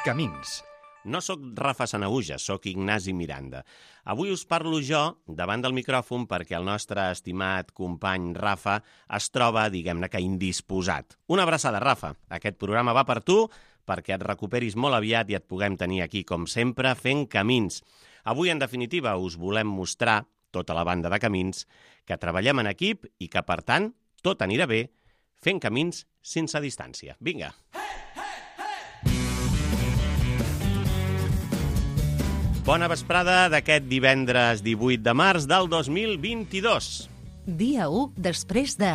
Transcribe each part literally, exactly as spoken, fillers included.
Camins. No sóc Rafa Sanahuja, sóc Ignasi Miranda. Avui us parlo jo davant del micròfon perquè el nostre estimat company Rafa es troba, diguem-ne que indisposat. Una abraçada, Rafa. Aquest programa va per tu, perquè et recuperis molt aviat i et puguem tenir aquí, com sempre, fent camins. Avui, en definitiva, us volem mostrar, tota la banda de Camins, que treballem en equip i que, per tant, tot anirà bé fent camins sense distància. Vinga! Bona vesprada d'aquest divendres divuit de març del dos mil vint-i-dos. Dia u després de...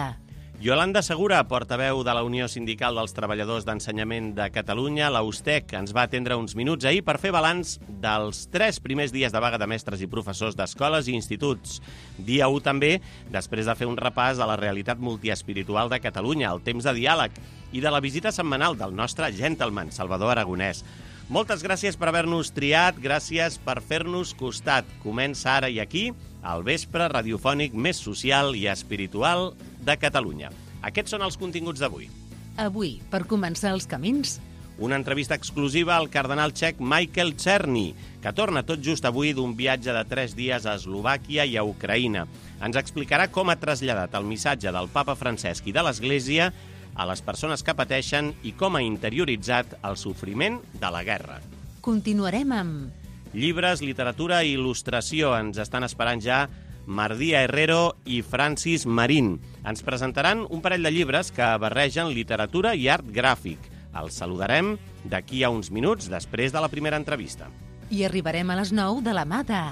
Yolanda Segura, portaveu de la Unió Sindical dels Treballadors d'Ensenyament de Catalunya, la USTEC, ens va atendre uns minuts ahir per fer balanç dels tres primers dies de vaga de mestres i professors d'escoles i instituts. Dia u també, després de fer un repàs a la realitat multiespiritual de Catalunya, el temps de diàleg i de la visita setmanal del nostre gentleman, Salvador Aragonès. Moltes gràcies per haver-nos triat, gràcies per fer-nos costat. Comença ara i aquí el vespre radiofònic més social i espiritual de Catalunya. Aquests són els continguts d'avui. Avui, per començar els camins... Una entrevista exclusiva al cardenal txec Michael Czerny, que torna tot just avui d'un viatge de tres dies a Eslovàquia i a Ucraïna. Ens explicarà com ha traslladat el missatge del papa Francesc i de l'Església a les persones que pateixen i com ha interioritzat el sofriment de la guerra. Continuarem amb... Llibres, literatura i il·lustració. Ens estan esperant ja Mardia Herrero i Francis Marín. Ens presentaran un parell de llibres que barregen literatura i art gràfic. Els saludarem d'aquí a uns minuts després de la primera entrevista. I arribarem a les nou de la mà de...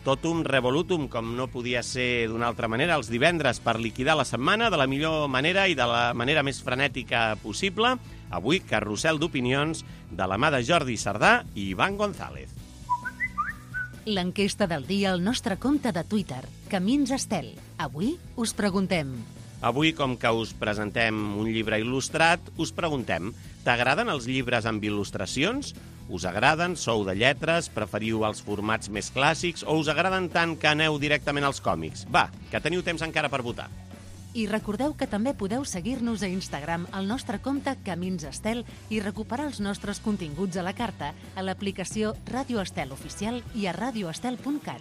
Totum revolutum, com no podia ser d'una altra manera, els divendres per liquidar la setmana de la millor manera i de la manera més frenètica possible. Avui, carrusel d'opinions de la mà de Jordi Sardà i Ivan González. L'enquesta del dia al nostre compte de Twitter, Camins Estel. Avui us preguntem... Avui, com que us presentem un llibre il·lustrat, us preguntem: t'agraden els llibres amb il·lustracions? Us agraden? Sou de lletres? Preferiu els formats més clàssics? O us agraden tant que aneu directament als còmics? Va, que teniu temps encara per votar. I recordeu que també podeu seguir-nos a Instagram al nostre compte Camins Estel i recuperar els nostres continguts a la carta a l'aplicació Ràdio Estel Oficial i a radioestel punt cat.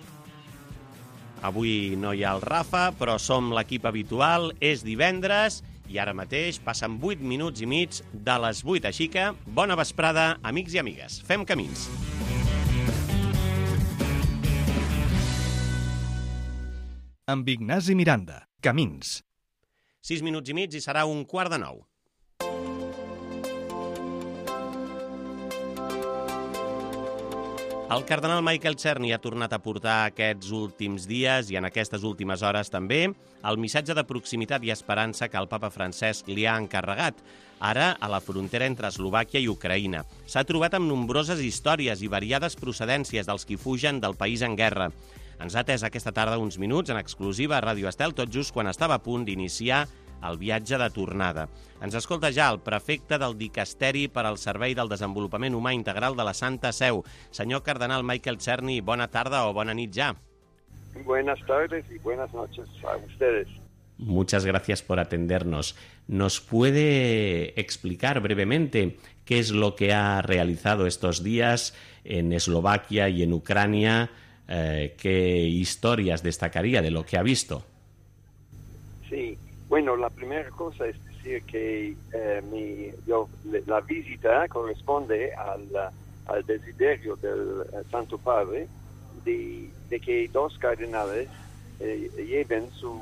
Avui no hi ha el Rafa, però som l'equip habitual, és divendres i ara mateix passen vuit minuts i mig de les vuit, així que bona vesprada, amics i amigues. Fem camins. Amb Ignasi Miranda. Camins. Sis minuts i mig i serà un quart de nou. El cardenal Michael Czerny ha tornat a portar aquests últims dies i en aquestes últimes hores també el missatge de proximitat i esperança que el papa Francesc li ha encarregat, ara a la frontera entre Eslovàquia i Ucraïna. S'ha trobat amb nombroses històries i variades procedències dels qui fugen del país en guerra. Ens ha atès aquesta tarda uns minuts en exclusiva a Ràdio Estel, tot just quan estava a punt d'iniciar el viatge de tornada. Ens escolta ja el prefecte del Dicasteri per al Servei del Desenvolupament Humà Integral de la Santa Seu. Senyor cardenal Michael Czerny, bona tarda o bona nit ya. Buenas tardes y buenas noches a ustedes. Muchas gracias por atendernos. ¿Nos puede explicar brevemente qué es lo que ha realizado estos días en Eslovaquia y en Ucrania? Eh, ¿Qué historias destacaría de lo que ha visto? Sí. Bueno, la primera cosa es decir que eh, mi, yo, la visita corresponde al, al desiderio del eh, Santo Padre de, de que dos cardenales eh, lleven su,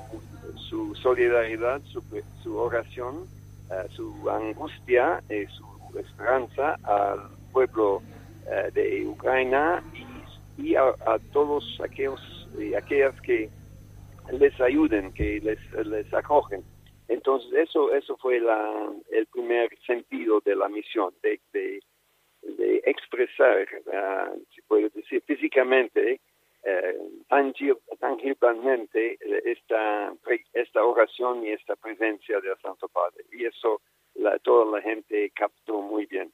su solidaridad, su, su oración, eh, su angustia y su esperanza al pueblo eh, de Ucrania y, y a, a todos aquellos y aquellas que les ayuden, que les, les acogen. Entonces eso eso fue la, el primer sentido de la misión, de, de, de expresar, uh, se puede decir, físicamente, uh, tangib, tangiblemente esta, esta oración y esta presencia del Santo Padre. Y eso la, toda la gente captó muy bien.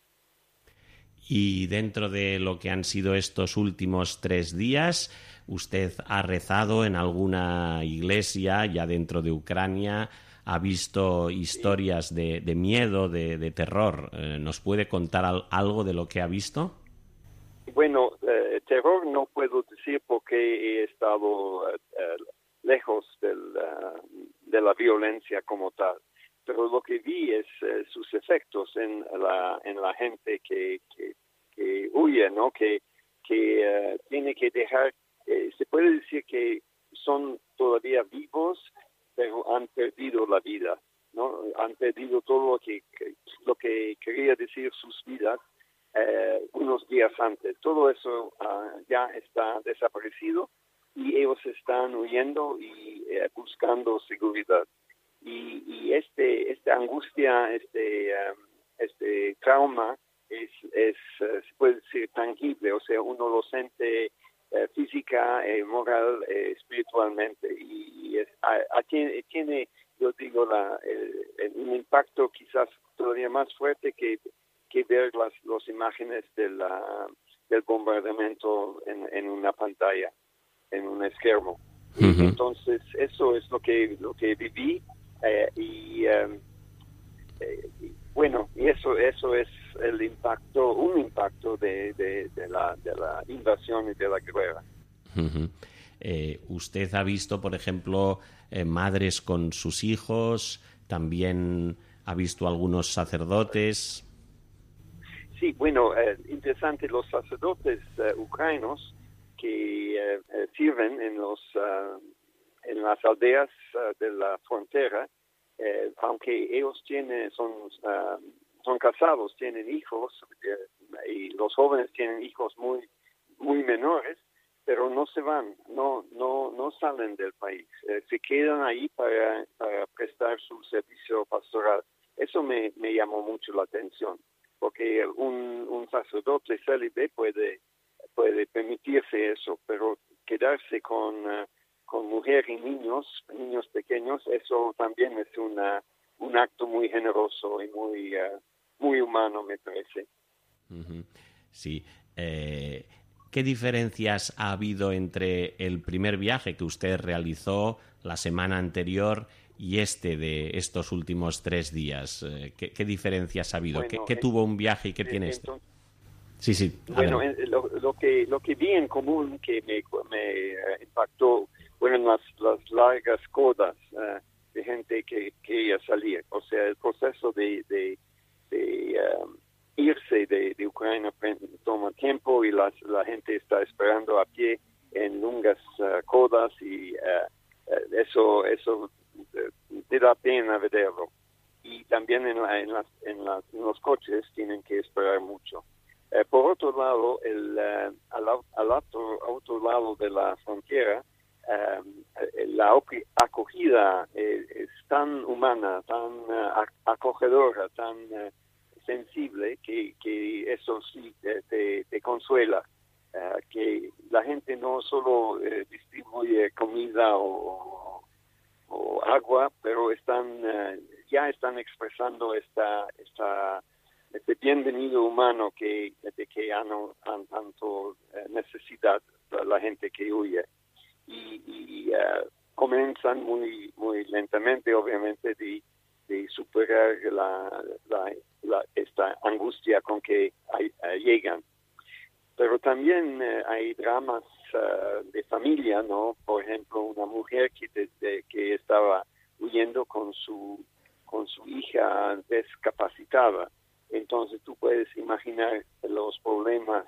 Y dentro de lo que han sido estos últimos tres días, ¿usted ha rezado en alguna iglesia ya dentro de Ucrania? ha visto historias de, de miedo, de, de terror. Eh, ¿Nos puede contar al, algo de lo que ha visto? Bueno, eh, terror no puedo decir porque he estado eh, lejos del, uh, de la violencia como tal, pero lo que vi es eh, sus efectos en la en la gente que, que, que huye, ¿no? Que, que uh, tiene que dejar, eh, se puede decir que son todavía vivos, pero han perdido la vida, ¿no? Han perdido todo lo que, que lo que quería decir sus vidas eh, unos días antes. Todo eso uh, ya está desaparecido y ellos están huyendo y eh, buscando seguridad. Y, y este esta angustia, este um, este trauma es es uh, se puede decir tangible, o sea, uno lo siente uh, física, eh, moral, eh, espiritualmente, y, y es, a, a, tiene, tiene, yo digo, la, el, el, un impacto quizás todavía más fuerte que que ver las las imágenes de la, del bombardamiento en, en una pantalla, en un esquermo. Uh-huh. Entonces eso es lo que lo que viví eh, y, um, eh, y bueno, y eso eso es el impacto, un impacto de, de, de la de la invasión y de la guerra. Uh-huh. Eh, usted ha visto, por ejemplo, eh, madres con sus hijos, también ha visto algunos sacerdotes. Sí, bueno, eh, interesante, los sacerdotes uh, ucranianos que uh, uh, sirven en los uh, en las aldeas uh, de la frontera, eh, aunque ellos tienen son uh, son casados, tienen hijos eh, y los jóvenes tienen hijos muy muy menores, pero no se van, no no no salen del país, eh, se quedan ahí para, para prestar su servicio pastoral. Eso me me llamó mucho la atención, porque un, un sacerdote célibe puede puede permitirse eso, pero quedarse con uh, con mujer y niños, niños pequeños, eso también es una un acto muy generoso y muy uh, muy humano, me parece. Uh-huh. Sí. Eh, ¿Qué diferencias ha habido entre el primer viaje que usted realizó la semana anterior y este de estos últimos tres días? ¿Qué, qué diferencias ha habido? Bueno, ¿Qué, qué tuvo un viaje y qué tiene este? Entonces, sí, sí. Bueno, lo, lo que lo que vi en común que me, me uh, impactó fueron las, las largas codas uh, de gente que quería salir. O sea, el proceso de, de, de um, irse de, de Ucrania toma tiempo y las, la gente está esperando a pie en largas uh, codas y uh, uh, eso eso te da pena verlo. Y también en, la, en, las, en, las, en los coches tienen que esperar mucho. Eh, por otro lado, el, uh, al, al otro, otro lado de la frontera, um, la acogida eh, es tan humana, tan uh, acogedora, tan uh, sensible, que, que eso sí te, te, te consuela. Uh, que la gente no solo uh, distribuye comida o, o agua, pero están uh, ya están expresando esta esta este bienvenido humano que de que han, han tanto eh, necesidad la gente que huye, y, y uh, comienzan muy muy lentamente, obviamente, de, de superar la, la, la esta angustia con que hay, uh, llegan. Pero también uh, hay dramas uh, de familia, ¿no? Por ejemplo, una mujer que desde que estaba huyendo con su con su hija discapacitada. Entonces tú puedes imaginar los problemas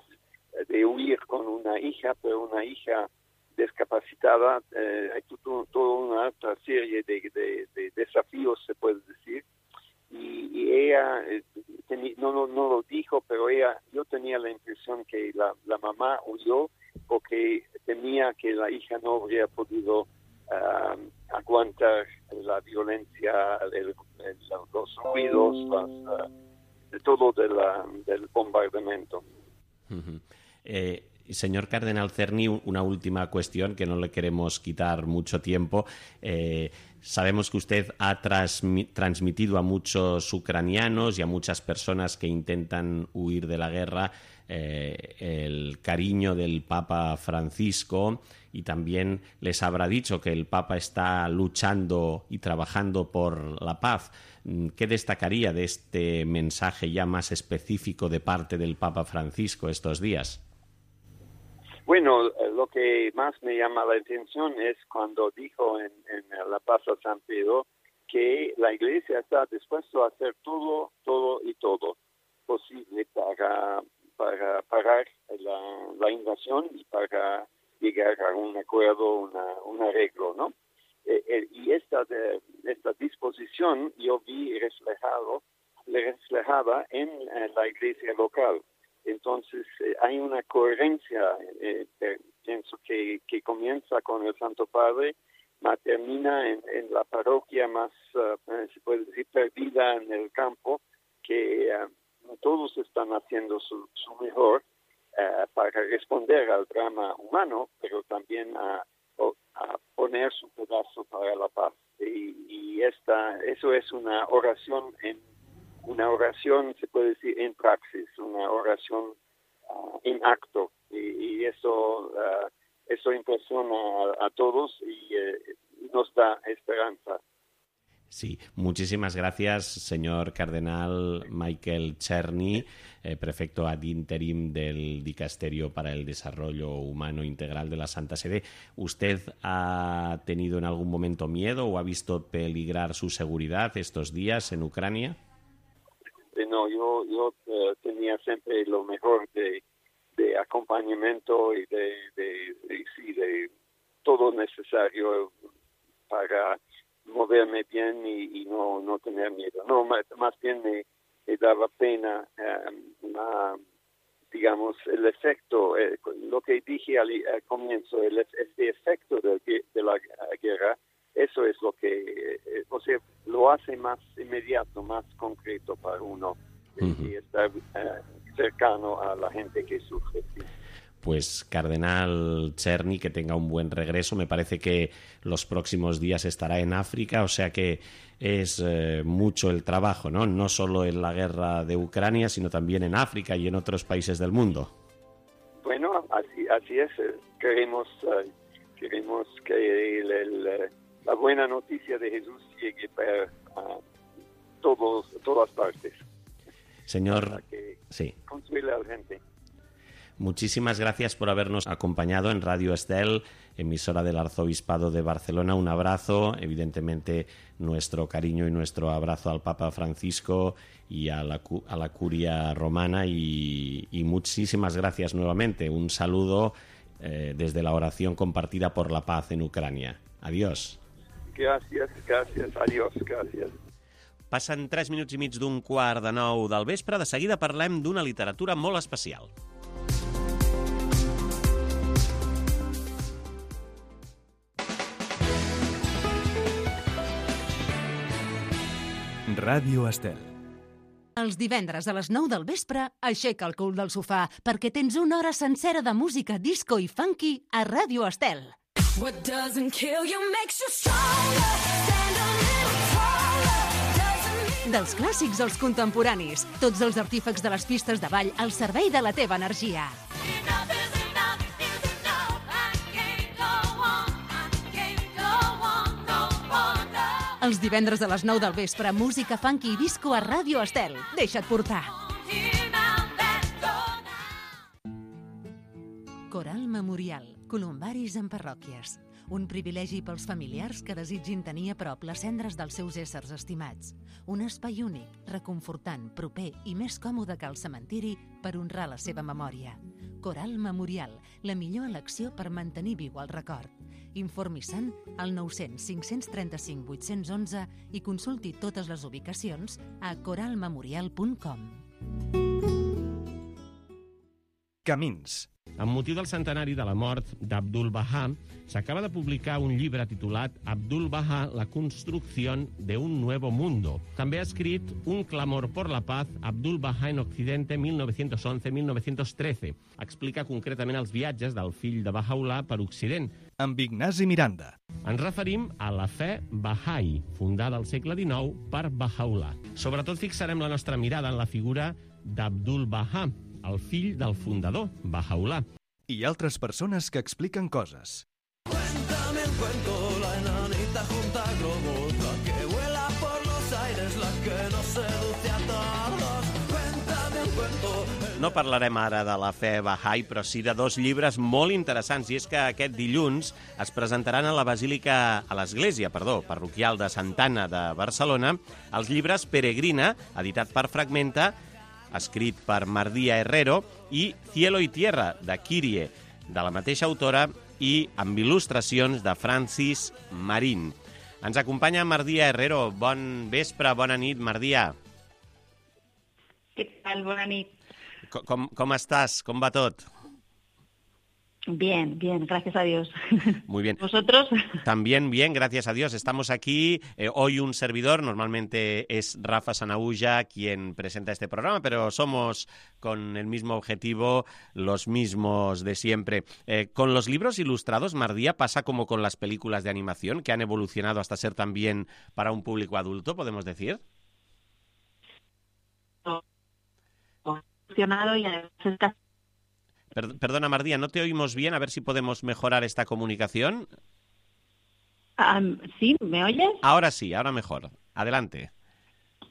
de huir con una hija, pero una hija discapacitada. Eh, hay toda una alta serie de, de, de desafíos, se puede decir. Y, y ella, eh, teni, no, no, no lo dijo, pero ella, yo tenía la impresión que la, la mamá huyó porque temía que la hija no habría podido uh, aguantar la violencia, el, el, los ruidos, las... Uh, de todo de la, del bombardamiento. Uh-huh. Eh, señor Cardenal Czerny, una última cuestión que no le queremos quitar mucho tiempo. Eh, sabemos que usted ha transmi- transmitido a muchos ucranianos y a muchas personas que intentan huir de la guerra eh, el cariño del Papa Francisco, y también les habrá dicho que el Papa está luchando y trabajando por la paz. ¿Qué destacaría de este mensaje ya más específico de parte del Papa Francisco estos días? Bueno, lo que más me llama la atención es cuando dijo en, en la Plaza San Pedro que la Iglesia está dispuesta a hacer todo, todo y todo posible para, para parar la, la invasión y para llegar a un acuerdo, una, un arreglo, ¿no? Eh, eh, y esta, de, esta disposición yo vi reflejado, reflejada en, en la iglesia local. Entonces eh, hay una coherencia, eh, eh, pienso que, que comienza con el Santo Padre, más termina en, en la parroquia más, uh, se puede decir, perdida en el campo, que uh, todos están haciendo su, su mejor uh, para responder al drama humano, pero también a, a poner su pedazo para la paz. Y, y esta, eso es una oración, en una oración, se puede decir, en praxis, una oración uh, en acto. Y, y eso, uh, eso impresiona a, a todos y uh, nos da esperanza. Sí, muchísimas gracias, señor Cardenal Michael Czerny, eh, prefecto ad interim del Dicasterio para el Desarrollo Humano Integral de la Santa Sede. ¿Usted ha tenido en algún momento miedo o ha visto peligrar su seguridad estos días en Ucrania? No, yo, yo uh, tenía siempre lo mejor de, de acompañamiento y de, de, de, sí, de todo necesario para moverme bien y, y no, no tener miedo. No, más, más bien me, me daba pena, um, uh, digamos, el efecto, eh, lo que dije al, al comienzo, el, este efecto de, de la guerra, eso es lo que, eh, o sea, lo hace más inmediato, más concreto para uno, uh-huh. y estar uh, cercano a la gente que sufre. ¿Sí? Pues Cardenal Czerny, que tenga un buen regreso. Me parece que los próximos días estará en África, o sea que es eh, mucho el trabajo, ¿no? No solo en la guerra de Ucrania, sino también en África y en otros países del mundo. Bueno, así, así es. Queremos, uh, queremos que el, el, la buena noticia de Jesús llegue para uh, todos, todas partes. Señor, para que sí. Consuele a la gente. Muchísimas gracias por habernos acompañado en Radio Estel, emisora del Arzobispado de Barcelona. Un abrazo, evidentemente nuestro cariño y nuestro abrazo al Papa Francisco y a la, a la Curia Romana, y, y muchísimas gracias nuevamente. Un saludo eh, desde la oración compartida por la paz en Ucrania. Adiós. Gràcies, gràcies, adiós, gràcies. Passen tres minuts i mig d'un quart de nou del vespre. De seguida parlem d'una literatura molt especial. Ràdio Estel. Els divendres a les nou del vespre, aixeca el cul del sofà perquè tens una hora sencera de música disco i funky a Ràdio Estel. What doesn't kill you makes you stronger. Stand a little taller. Dels clàssics als contemporanis, tots els artífecs de les pistes de ball al servei de la teva energia. Els divendres a les nou del vespre, música funky i disco a Ràdio Estel. Deixa't portar. Coral Memorial. Columbaris en parròquies. Un privilegi pels familiars que desitgin tenir a prop les cendres dels seus éssers estimats. Un espai únic, reconfortant, proper i més còmode que el cementiri per honrar la seva memòria. Coral Memorial, la millor elecció per mantenir viu el record. Informi-se'n al nou cents cinc cents trenta-cinc vuit-cents onze i consulti totes les ubicacions a coral memorial punt com. Camins. Amb motiu del centenari de la mort d'Abdul Baha, s'acaba de publicar un llibre titulat Abdul Baha, la construcción de un nuevo mundo. També ha escrit Un clamor por la paz, Abdul Baha en Occidente, mil nou-cents onze a mil nou-cents trece. Explica concretament els viatges del fill de Baha'u'llah per Occident. Amb Ignasi Miranda. Ens referim a la fe Baha'i, fundada al segle dinou per Baha'u'llah. Sobretot fixarem la nostra mirada en la figura d'Abdul Baha, el fill del fundador, Baha'u'llah. I altres persones que expliquen coses. Cuéntame el cuento, la enanita junta globos, la que vuela por los aires, la que nos seduce a todos. Cuéntame el cuento. No parlarem ara de la fe Baha'i, però sí de dos llibres molt interessants, i és que aquest dilluns es presentaran a la Basílica, a l'Església, perdó, parroquial de Santa Anna de Barcelona, els llibres Peregrina, editat per Fragmenta, escrit per Mardia Herrero, i Cielo y Tierra, de Kyrie, de la mateixa autora, i amb il·lustracions de Francis Marín. Ens acompanya Mardia Herrero. Bon vespre, bona nit, Mardia. Què tal? Bona nit. Com, com estàs? Com va tot? Bien, bien, gracias a Dios. Muy bien. ¿Vosotros? También bien, gracias a Dios. Estamos aquí, eh, hoy un servidor, normalmente es Rafa Sanahuja quien presenta este programa, pero somos con el mismo objetivo, los mismos de siempre. Eh, con los libros ilustrados, Mardia, pasa como con las películas de animación, que han evolucionado hasta ser también para un público adulto, podemos decir. Evolucionado y además está... Perdona, Mardia, no te oímos bien, a ver si podemos mejorar esta comunicación. Um, ¿Sí? ¿Me oyes? Ahora sí, ahora mejor. Adelante.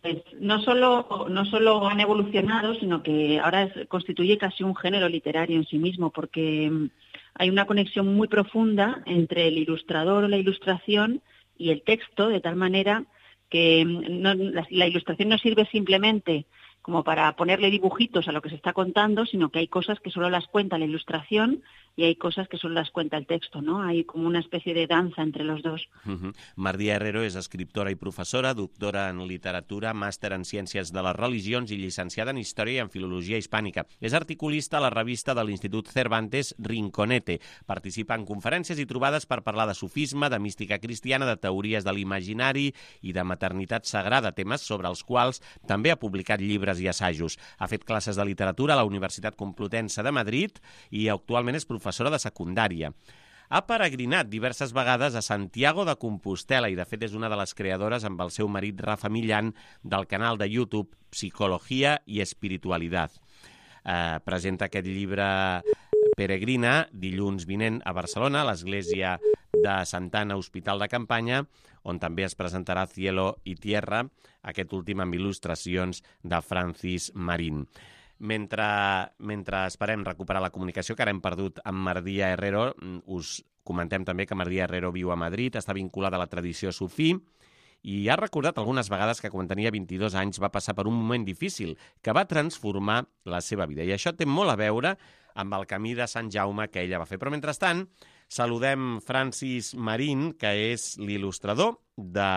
Pues no solo, no solo han evolucionado, sino que ahora es, constituye casi un género literario en sí mismo, porque um, hay una conexión muy profunda entre el ilustrador o la ilustración y el texto, de tal manera que um, no, la, la ilustración no sirve simplemente como para ponerle dibujitos a lo que se está contando, sino que hay cosas que solo las cuenta la ilustración y hay cosas que solo las cuenta el texto, ¿no? Hay como una especie de danza entre los dos. Uh-huh. Mardia Herrero és escriptora i professora, doctora en literatura, màster en ciències de les religions i llicenciada en història i en filologia hispànica. És articulista a la revista de l'Institut Cervantes Rinconete. Participa en conferències i trobades per parlar de sufisme, de mística cristiana, de teories de l'imaginari i de maternitat sagrada, temes sobre els quals també ha publicat llibres i assajos. Ha fet classes de literatura a la Universitat Complutense de Madrid i actualment és professora de secundària. Ha peregrinat diverses vegades a Santiago de Compostela i, de fet, és una de les creadores amb el seu marit Rafa Millán del canal de YouTube Psicología y Espiritualidad. Eh, presenta aquest llibre Peregrina dilluns vinent a Barcelona, a l'església de Santa Anna, Hospital de Campanya, on també es presentarà Cielo y Tierra, aquest últim amb il·lustracions de Francis Marín. Mentre, mentre esperem recuperar la comunicació que ara hem perdut amb Mardia Herrero, us comentem també que Mardia Herrero viu a Madrid, està vinculada a la tradició sufí i ha recordat algunes vegades que quan tenia vint-i-dos anys va passar per un moment difícil que va transformar la seva vida. I això té molt a veure amb el camí de Sant Jaume que ella va fer. Però mentrestant, saludem Francis Marín, que és l'il·lustrador de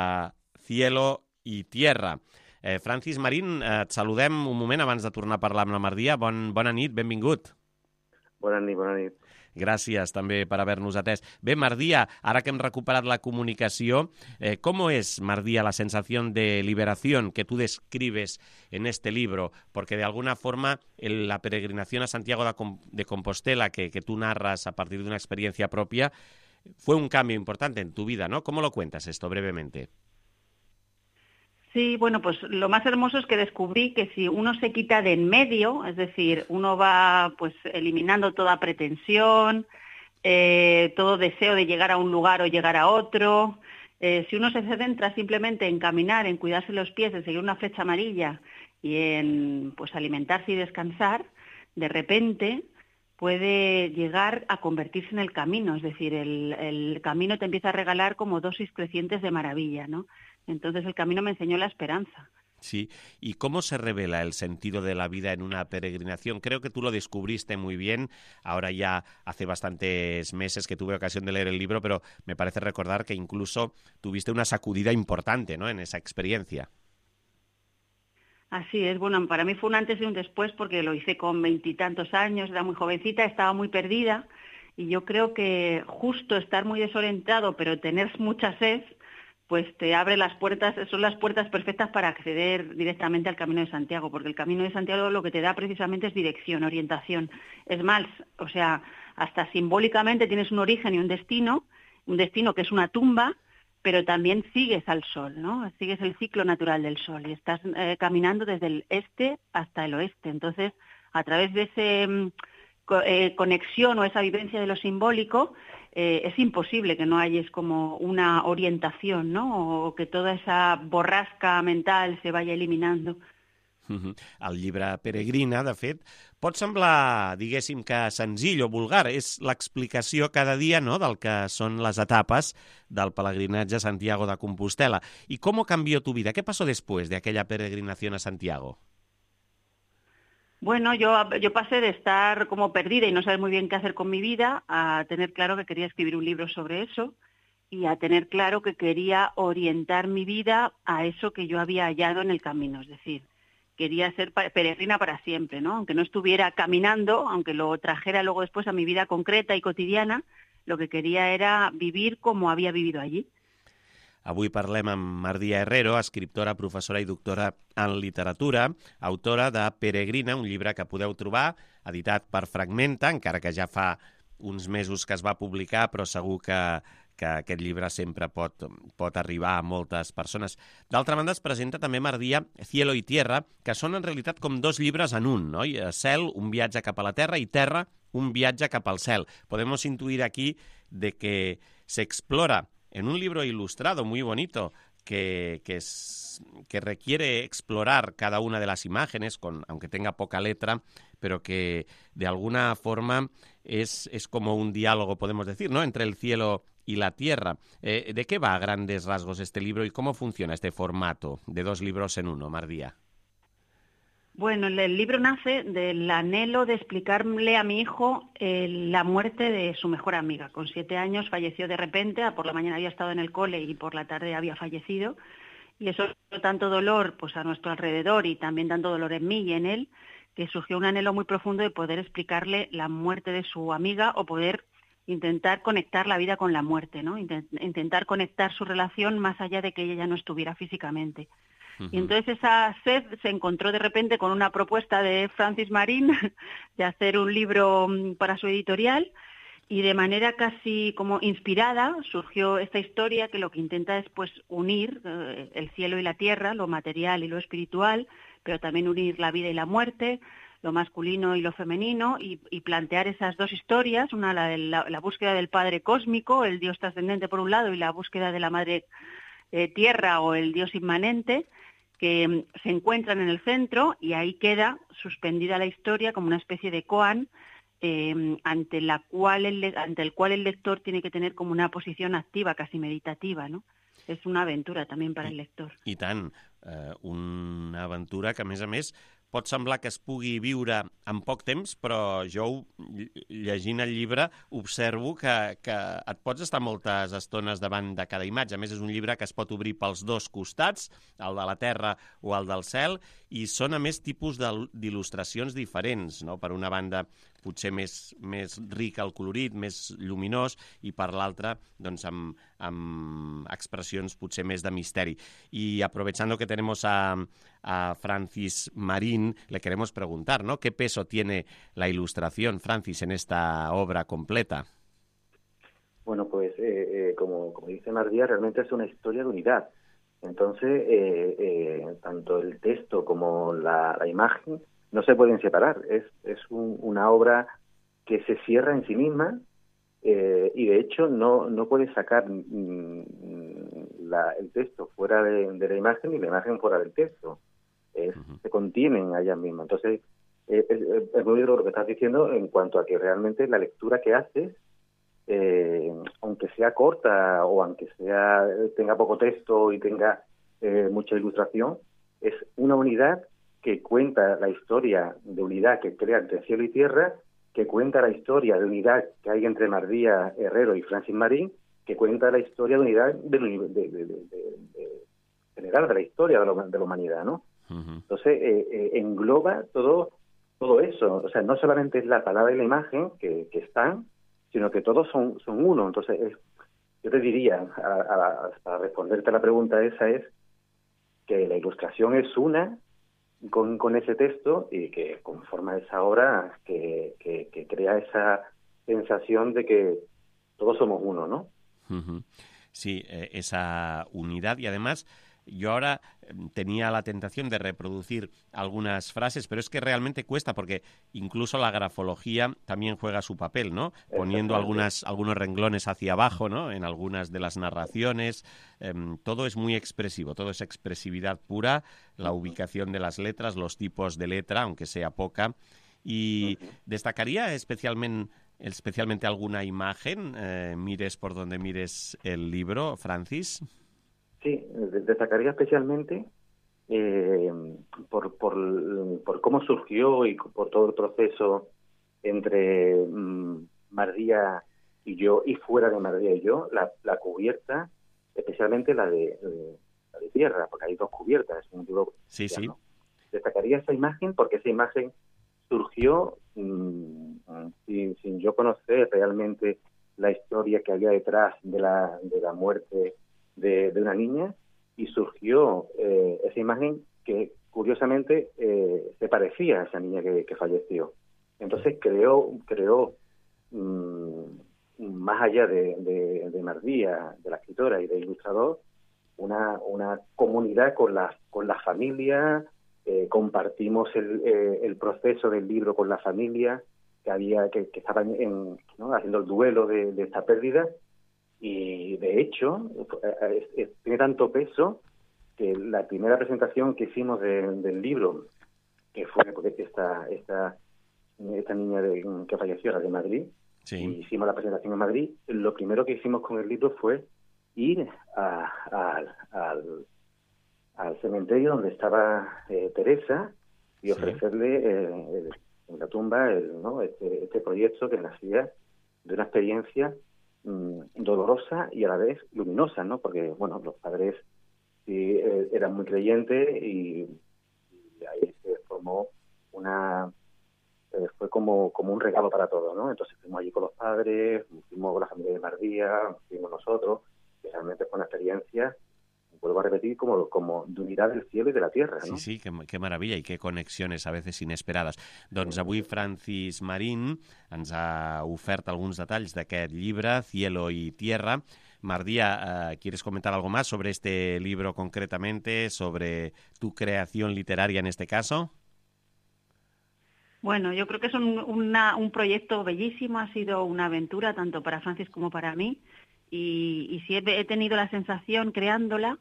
Cielo y Tierra. Eh, Francis Marín, eh, et saludem un moment abans de tornar a parlar amb la Mardia. Bon, bona nit, benvingut. Bona nit, bona nit. Gràcies també per haver-nos atès. Bé, Mardia, ara que hem recuperat la comunicació, eh, ¿cómo es, Mardia, la sensación de liberación que tú describes en este libro? Porque de alguna forma el, la peregrinación a Santiago de, de Compostela que, que tú narras a partir de una experiencia propia fue un cambio importante en tu vida, ¿no? ¿Cómo lo cuentas esto brevemente? Sí, bueno, pues lo más hermoso es que descubrí que si uno se quita de en medio, es decir, uno va pues eliminando toda pretensión, eh, todo deseo de llegar a un lugar o llegar a otro, eh, si uno se centra simplemente en caminar, en cuidarse los pies, en seguir una flecha amarilla y en pues alimentarse y descansar, de repente puede llegar a convertirse en el camino, es decir, el, el camino te empieza a regalar como dosis crecientes de maravilla, ¿no? Entonces el camino me enseñó la esperanza. Sí, ¿y cómo se revela el sentido de la vida en una peregrinación? Creo que tú lo descubriste muy bien, ahora ya hace bastantes meses que tuve ocasión de leer el libro, pero me parece recordar que incluso tuviste una sacudida importante, ¿no?, en esa experiencia. Así es, bueno, para mí fue un antes y un después porque lo hice con veintitantos años, era muy jovencita, estaba muy perdida y yo creo que justo estar muy desorientado pero tener mucha sed, pues te abre las puertas, son las puertas perfectas para acceder directamente al Camino de Santiago, porque el Camino de Santiago lo que te da precisamente es dirección, orientación. Es más, o sea, hasta simbólicamente tienes un origen y un destino, un destino que es una tumba, pero también sigues al sol, ¿no? Sigues el ciclo natural del sol y estás eh, caminando desde el este hasta el oeste. Entonces, a través de esa eh, conexión o esa vivencia de lo simbólico, eh, es imposible que no hayas como una orientación, ¿no? O que toda esa borrasca mental se vaya eliminando. Uh-huh. El llibre Peregrina, de fet, pot semblar, diguéssim, que senzill o vulgar. És l'explicació cada dia, no?, del que són les etapes del peregrinatge a Santiago de Compostela. ¿Y cómo cambió tu vida? ¿Qué pasó después de aquella peregrinación a Santiago? Bueno, yo, yo pasé de estar como perdida y no saber muy bien qué hacer con mi vida a tener claro que quería escribir un libro sobre eso y a tener claro que quería orientar mi vida a eso que yo había hallado en el camino, es decir, quería ser peregrina para siempre, ¿no? Aunque no estuviera caminando, aunque lo trajera luego después a mi vida concreta y cotidiana, lo que quería era vivir como había vivido allí. Avui parlem amb Mardia Herrero, escriptora, professora i doctora en literatura, autora de Peregrina, un llibre que podeu trobar, editat per Fragmenta, encara que ja fa uns mesos que es va publicar, però segur que, que aquest llibre sempre pot, pot arribar a moltes persones. D'altra banda, es presenta també, Mardia, Cielo y Tierra, que són en realitat com dos llibres en un, no? Cel, un viatge cap a la Terra, i Terra, un viatge cap al cel. Podemos intuir aquí de que se explora en un libro ilustrado muy bonito que, que, es, que requiere explorar cada una de las imágenes, con, aunque tenga poca letra, pero que de alguna forma es, es como un diálogo, podemos decir, ¿no?, entre el cielo y la tierra. Eh, ¿De qué va a grandes rasgos este libro y cómo funciona este formato de dos libros en uno, Mardia? Bueno, el libro nace del anhelo de explicarle a mi hijo eh, la muerte de su mejor amiga. Con siete años falleció de repente, por la mañana había estado en el cole y por la tarde había fallecido. Y eso dio tanto dolor pues, a nuestro alrededor y también tanto dolor en mí y en él, que surgió un anhelo muy profundo de poder explicarle la muerte de su amiga o poder intentar conectar la vida con la muerte, ¿no? Intentar conectar su relación más allá de que ella ya no estuviera físicamente. Uh-huh. Y entonces esa sed se encontró de repente con una propuesta de Francis Marín de hacer un libro para su editorial y de manera casi como inspirada surgió esta historia que lo que intenta es pues unir eh, el cielo y la tierra, lo material y lo espiritual, pero también unir la vida y la muerte, lo masculino y lo femenino, y, y plantear esas dos historias, una la, de la, la búsqueda del Padre cósmico, el Dios trascendente por un lado, y la búsqueda de la Madre eh, Tierra o el Dios inmanente, que um, se encuentran en el centro, y ahí queda suspendida la historia como una especie de koan, eh, ante, la cual el, ante el cual el lector tiene que tener como una posición activa, casi meditativa, ¿no? És una aventura també per al lector. I tant, eh, una aventura que, a més a més, pot semblar que es pugui viure en poc temps, però jo, llegint el llibre, observo que, que et pots estar moltes estones davant de cada imatge. A més, és un llibre que es pot obrir pels dos costats, el de la terra o el del cel, i són, a més, tipus d'il·lustracions diferents, no? Per una banda, potser més, més ric el colorit, més lluminós, i per l'altra, doncs, amb, amb expressions potser més de misteri. Y aprovechando que tenemos a, a Francis Marín, le queremos preguntar, ¿no? ¿Qué peso tiene la ilustración, Francis, en esta obra completa? Bueno, pues eh, eh, como, como dice Mardia, realmente es una historia de unidad. Entonces, eh, eh, tanto el texto como la, la imagen no se pueden separar. Es, es un, una obra que se cierra en sí misma eh, y, de hecho, no, no puede sacar mm, la, el texto fuera de, de la imagen y la imagen fuera del texto. Es, uh-huh. Se contienen allá mismo. Entonces, eh, es, es muy duro lo que estás diciendo en cuanto a que realmente la lectura que haces, eh, aunque sea corta o aunque sea tenga poco texto y tenga eh, mucha ilustración, es una unidad que cuenta la historia de unidad que crea entre cielo y tierra, que cuenta la historia de unidad que hay entre Mardia Herrero y Francis Marín, que cuenta la historia de unidad de, de, de, de, de, de general de la historia de la, de la humanidad, ¿no? Uh-huh. Entonces, eh, eh, engloba todo, todo eso. O sea, no solamente es la palabra y la imagen que, que están, sino que todos son, son uno. Entonces, es, yo te diría, a, a, para responderte a la pregunta esa, es que la ilustración es una con, con ese texto y que conforma esa obra que, que, que crea esa sensación de que todos somos uno, ¿no? Uh-huh. Sí, eh, esa unidad. Y además, yo ahora tenía la tentación de reproducir algunas frases, pero es que realmente cuesta, porque incluso la grafología también juega su papel, ¿no? Poniendo algunas, algunos renglones hacia abajo, ¿no? En algunas de las narraciones. Eh, todo es muy expresivo, todo es expresividad pura, la ubicación de las letras, los tipos de letra, aunque sea poca. Y destacaría especialmente... especialmente alguna imagen, eh, mires por donde mires el libro, Francis. Sí, destacaría especialmente eh, por, por, por cómo surgió y por todo el proceso entre mm, Mardía y yo, y fuera de Mardía y yo, la, la cubierta, especialmente la de, de, la de tierra, porque hay dos cubiertas, es un libro. Sí, sí. Destacaría esa imagen porque esa imagen surgió mmm, sin, sin yo conocer realmente la historia que había detrás de la, de la muerte de, de una niña, y surgió eh, esa imagen que curiosamente eh, se parecía a esa niña que, que falleció. Entonces creó, creó mmm, más allá de, de, de Mardía, de la escritora y del ilustrador, una, una comunidad con la, con la familia. Eh, compartimos el, eh, el proceso del libro con la familia que había que, que estaban en, ¿no? haciendo el duelo de, de esta pérdida, y de hecho es, es, tiene tanto peso que la primera presentación que hicimos de, del libro, que fue porque esta esta esta niña de, que falleció era de Madrid, sí. Y hicimos la presentación en Madrid, lo primero que hicimos con el libro fue ir a, a, al al cementerio donde estaba eh, Teresa y ofrecerle eh, el, en la tumba el, ¿no? este, este proyecto que nacía de una experiencia mmm, dolorosa y a la vez luminosa, ¿no? Porque, bueno, los padres sí eh, eran muy creyentes y, y ahí se formó una... Eh, fue como, como un regalo para todos, ¿no? Entonces fuimos allí con los padres, fuimos con la familia de Mardía, fuimos nosotros, que realmente fue una experiencia, vuelvo a repetir, como, como de unidad del cielo i de la tierra, no? Sí, sí, que, que meravella i que connexions a vegades inesperades. Doncs avui Francis Marín ens ha ofert alguns detalls d'aquest llibre, Cielo y Tierra. Mardía, eh, ¿quieres comentar algo más sobre este libro concretamente, sobre tu creación literaria en este caso? Bueno, yo creo que es un, una, un proyecto bellísimo, ha sido una aventura tanto para Francis como para mí, y, y sí he, he tenido la sensación creándola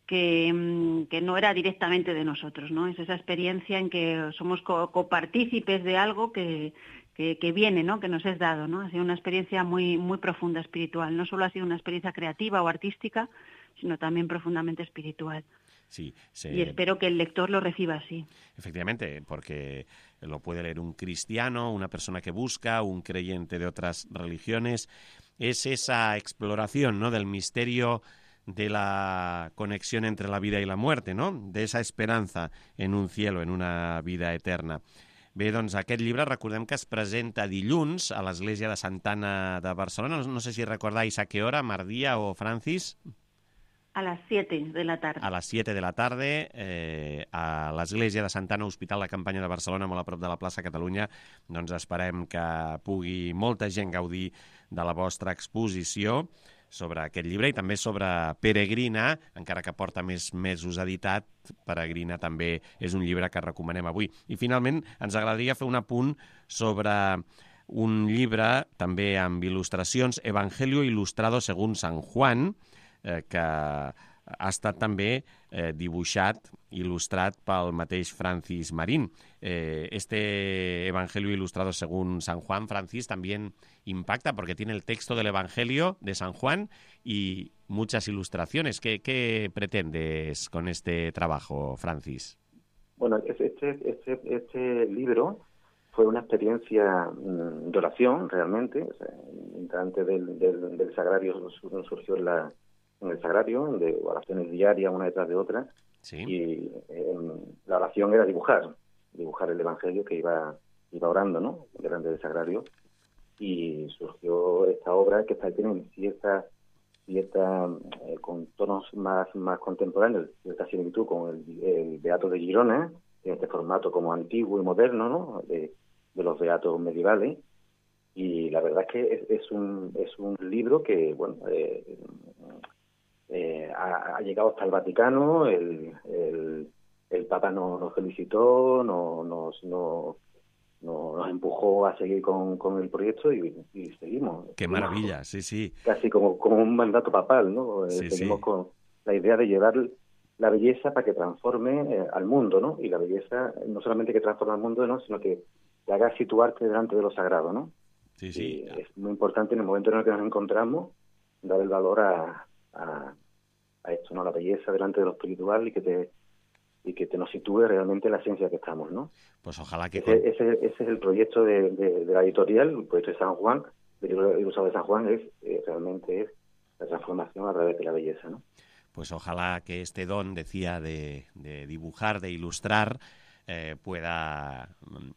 que, que no era directamente de nosotros, ¿no? Es esa experiencia en que somos co copartícipes de algo que, que, que viene, ¿no? Que nos es dado, ¿no? Ha sido una experiencia muy, muy profunda espiritual. No solo ha sido una experiencia creativa o artística, sino también profundamente espiritual. Sí, se... Y espero que el lector lo reciba así. Efectivamente, porque lo puede leer un cristiano, una persona que busca, un creyente de otras religiones. Es esa exploración, ¿no?, del misterio de la conexión entre la vida y la muerte, no? De esa esperança en un cielo, en una vida eterna. Bé, doncs aquest llibre recordem que es presenta dilluns a l'Església de Santa Anna de Barcelona. No, no sé si recordáis a qué hora, Mardía o Francis. A las siete de la tarde. A les siete de la tarda, eh, a l'Església de Santa Anna, Hospital de Campanya de Barcelona, molt a prop de la plaça Catalunya. Doncs esperem que pugui molta gent gaudir de la vostra exposició sobre aquest llibre i també sobre Peregrina, encara que porta més mesos editat. Peregrina també és un llibre que recomanem avui. I finalment ens agradaria fer un apunt sobre un llibre també amb il·lustracions, Evangelio Ilustrado según San Juan, eh, que ha estat també eh, dibuixat, il·lustrat pel mateix Francis Marín. Eh, este Evangelio Ilustrado según San Juan, Francis, también impacta porque tiene el texto del Evangelio de San Juan y muchas ilustraciones. ¿Qué, qué pretendes con este trabajo, Francis? Bueno, este, este, este libro fue una experiencia mmm, de oración, realmente. O sea, antes del, del, del sagrario surgió en, la, en el sagrario, de oraciones diarias, una detrás de otra, Sí. Y eh, la oración era dibujar, dibujar el Evangelio que iba, iba orando, ¿no? Delante del sagrario. Y surgió esta obra que está, tiene cierta, cierta eh, con tonos más, más contemporáneos, cierta similitud con el, el Beato de Girona, en este formato como antiguo y moderno, ¿no? De, de los beatos medievales. Y la verdad es que es, es un es un libro que, bueno, eh, eh, ha, ha llegado hasta el Vaticano, el, el, el Papa nos, nos felicitó, no, nos, no, no, nos empujó a seguir con, con el proyecto y, y seguimos. Qué maravilla, sí, sí. Casi como, como un mandato papal, ¿no? Eh, Sí, seguimos sí. con la idea de llevar la belleza para que transforme eh, al mundo, ¿no? Y la belleza no solamente que transforma al mundo, ¿no? Sino que te haga situarte delante de lo sagrado, ¿no? Sí, sí. Y es muy importante en el momento en el que nos encontramos dar el valor a, a, a esto, ¿no? La belleza delante de lo espiritual y que te y que te nos sitúe realmente en la esencia que estamos, ¿no? Pues ojalá que... Ese, ese, ese es el proyecto de, de, de la editorial, el proyecto de San Juan, del libro ilustrado de San Juan, es eh, realmente es la transformación a través de la belleza, ¿no? Pues ojalá que este don, decía, de, de dibujar, de ilustrar, eh, pueda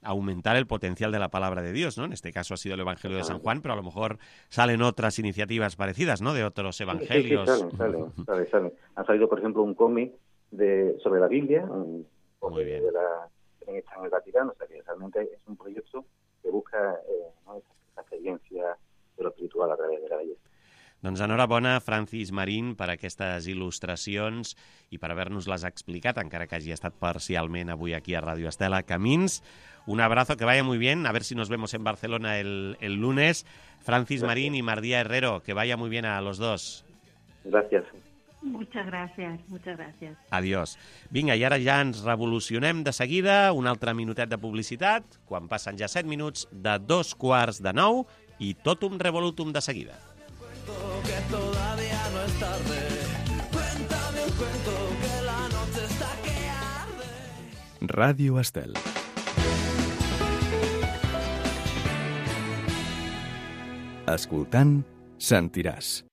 aumentar el potencial de la palabra de Dios, ¿no? En este caso ha sido el Evangelio de San Juan, pero a lo mejor salen otras iniciativas parecidas, ¿no? De otros evangelios. Sí, sí, salen, salen, salen, salen. Ha salido, por ejemplo, un cómic de sobre la Biblia, un cómic de la que está en el Vaticano, o sea que realmente es un proyecto que busca eh, ¿no? esa, esa experiencia de lo espiritual a través de la belleza. Doncs enhorabona, Francis Marín, per aquestes il·lustracions i per haver-nos-les explicat, encara que hagi estat parcialment avui aquí a Radio Estela. Camins, un abrazo, que vaya muy bien, a ver si nos vemos en Barcelona el, el lunes. Francis Gracias. Marín y Mardía Herrero, que vaya muy bien a los dos. Gracias. Muchas gracias, muchas gracias. Adiós. Vinga, i ara ja ens revolucionem de seguida, un altre minutet de publicitat, quan passen ja set minuts de dos quarts de nou i totum revolutum de seguida. Que todavía no es tarde. Cuéntame un cuento que la noche está que arde. Ràdio Estel. Escoltant, sentiràs.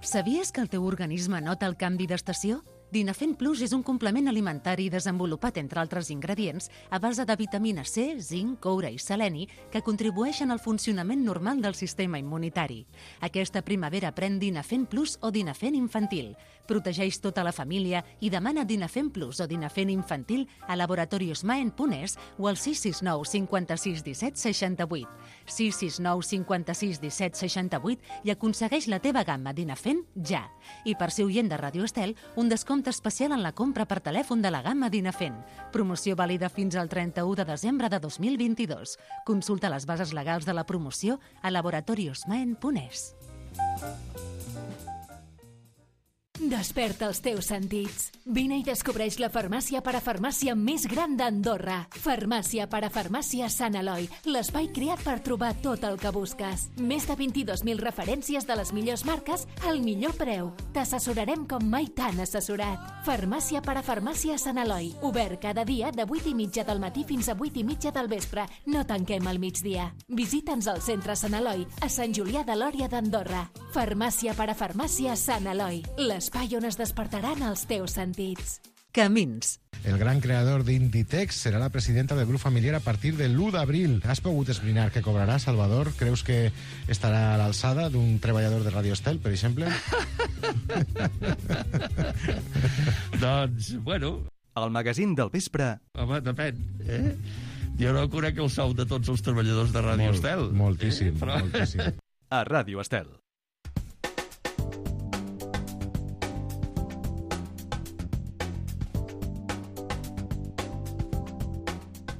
Sabies que el teu organisme nota el canvi d'estació? Dinafen Plus és un complement alimentari desenvolupat, entre altres ingredients, a base de vitamina C, zinc, coure i seleni, que contribueixen al funcionament normal del sistema immunitari. Aquesta primavera pren Dinafen Plus o Dinafen Infantil. Protegeix tota la família i demana Dinafen Plus o Dinafen Infantil a Laboratorios Maen punt es o al sis sis nou cinquanta-sis disset seixanta-vuit. sis sis nou cinquanta-sis disset seixanta-vuit i aconsegueix la teva gamma Dinafen ja. I per ser oient de Radio Estel, un descompte especial en la compra per telèfon de la gamma Dinafen. Promoció vàlida fins al trenta-u de desembre de dos mil vint-i-dos. Consulta les bases legals de la promoció a laboratorios maen punt es. Desperta els teus sentits. Vine i descobreix la farmàcia parafarmàcia més gran d'Andorra. Farmàcia parafarmàcia Sant Eloi, l'espai creat per trobar tot el que busques. Més de vint-i-dos mil referències de les millors marques al millor preu. T'assessorarem com mai t'han assessorat. Farmàcia parafarmàcia Sant Eloi, obert cada dia de vuit i mitja del matí fins a vuit i mitja del vespre. No tanquem al migdia. Visita'ns al centre Sant Eloi, a Sant Julià de Lòria d'Andorra. Farmàcia parafarmàcia Sant Eloi, l'espai on es despertaran els teus sentits. Camins. El gran creador d'Inditex serà la presidenta del grup familiar a partir de l'u d'abril. Has pogut esbrinar què cobrarà, Salvador? Creus que estarà a l'alçada d'un treballador de Radio Estel, per exemple? Doncs, bueno... El magazín del vespre... Home, depèn, eh? Jo no conec el sou de tots els treballadors de Radio Molt, Estel. Moltíssim, eh? Però... moltíssim. A Ràdio Estel.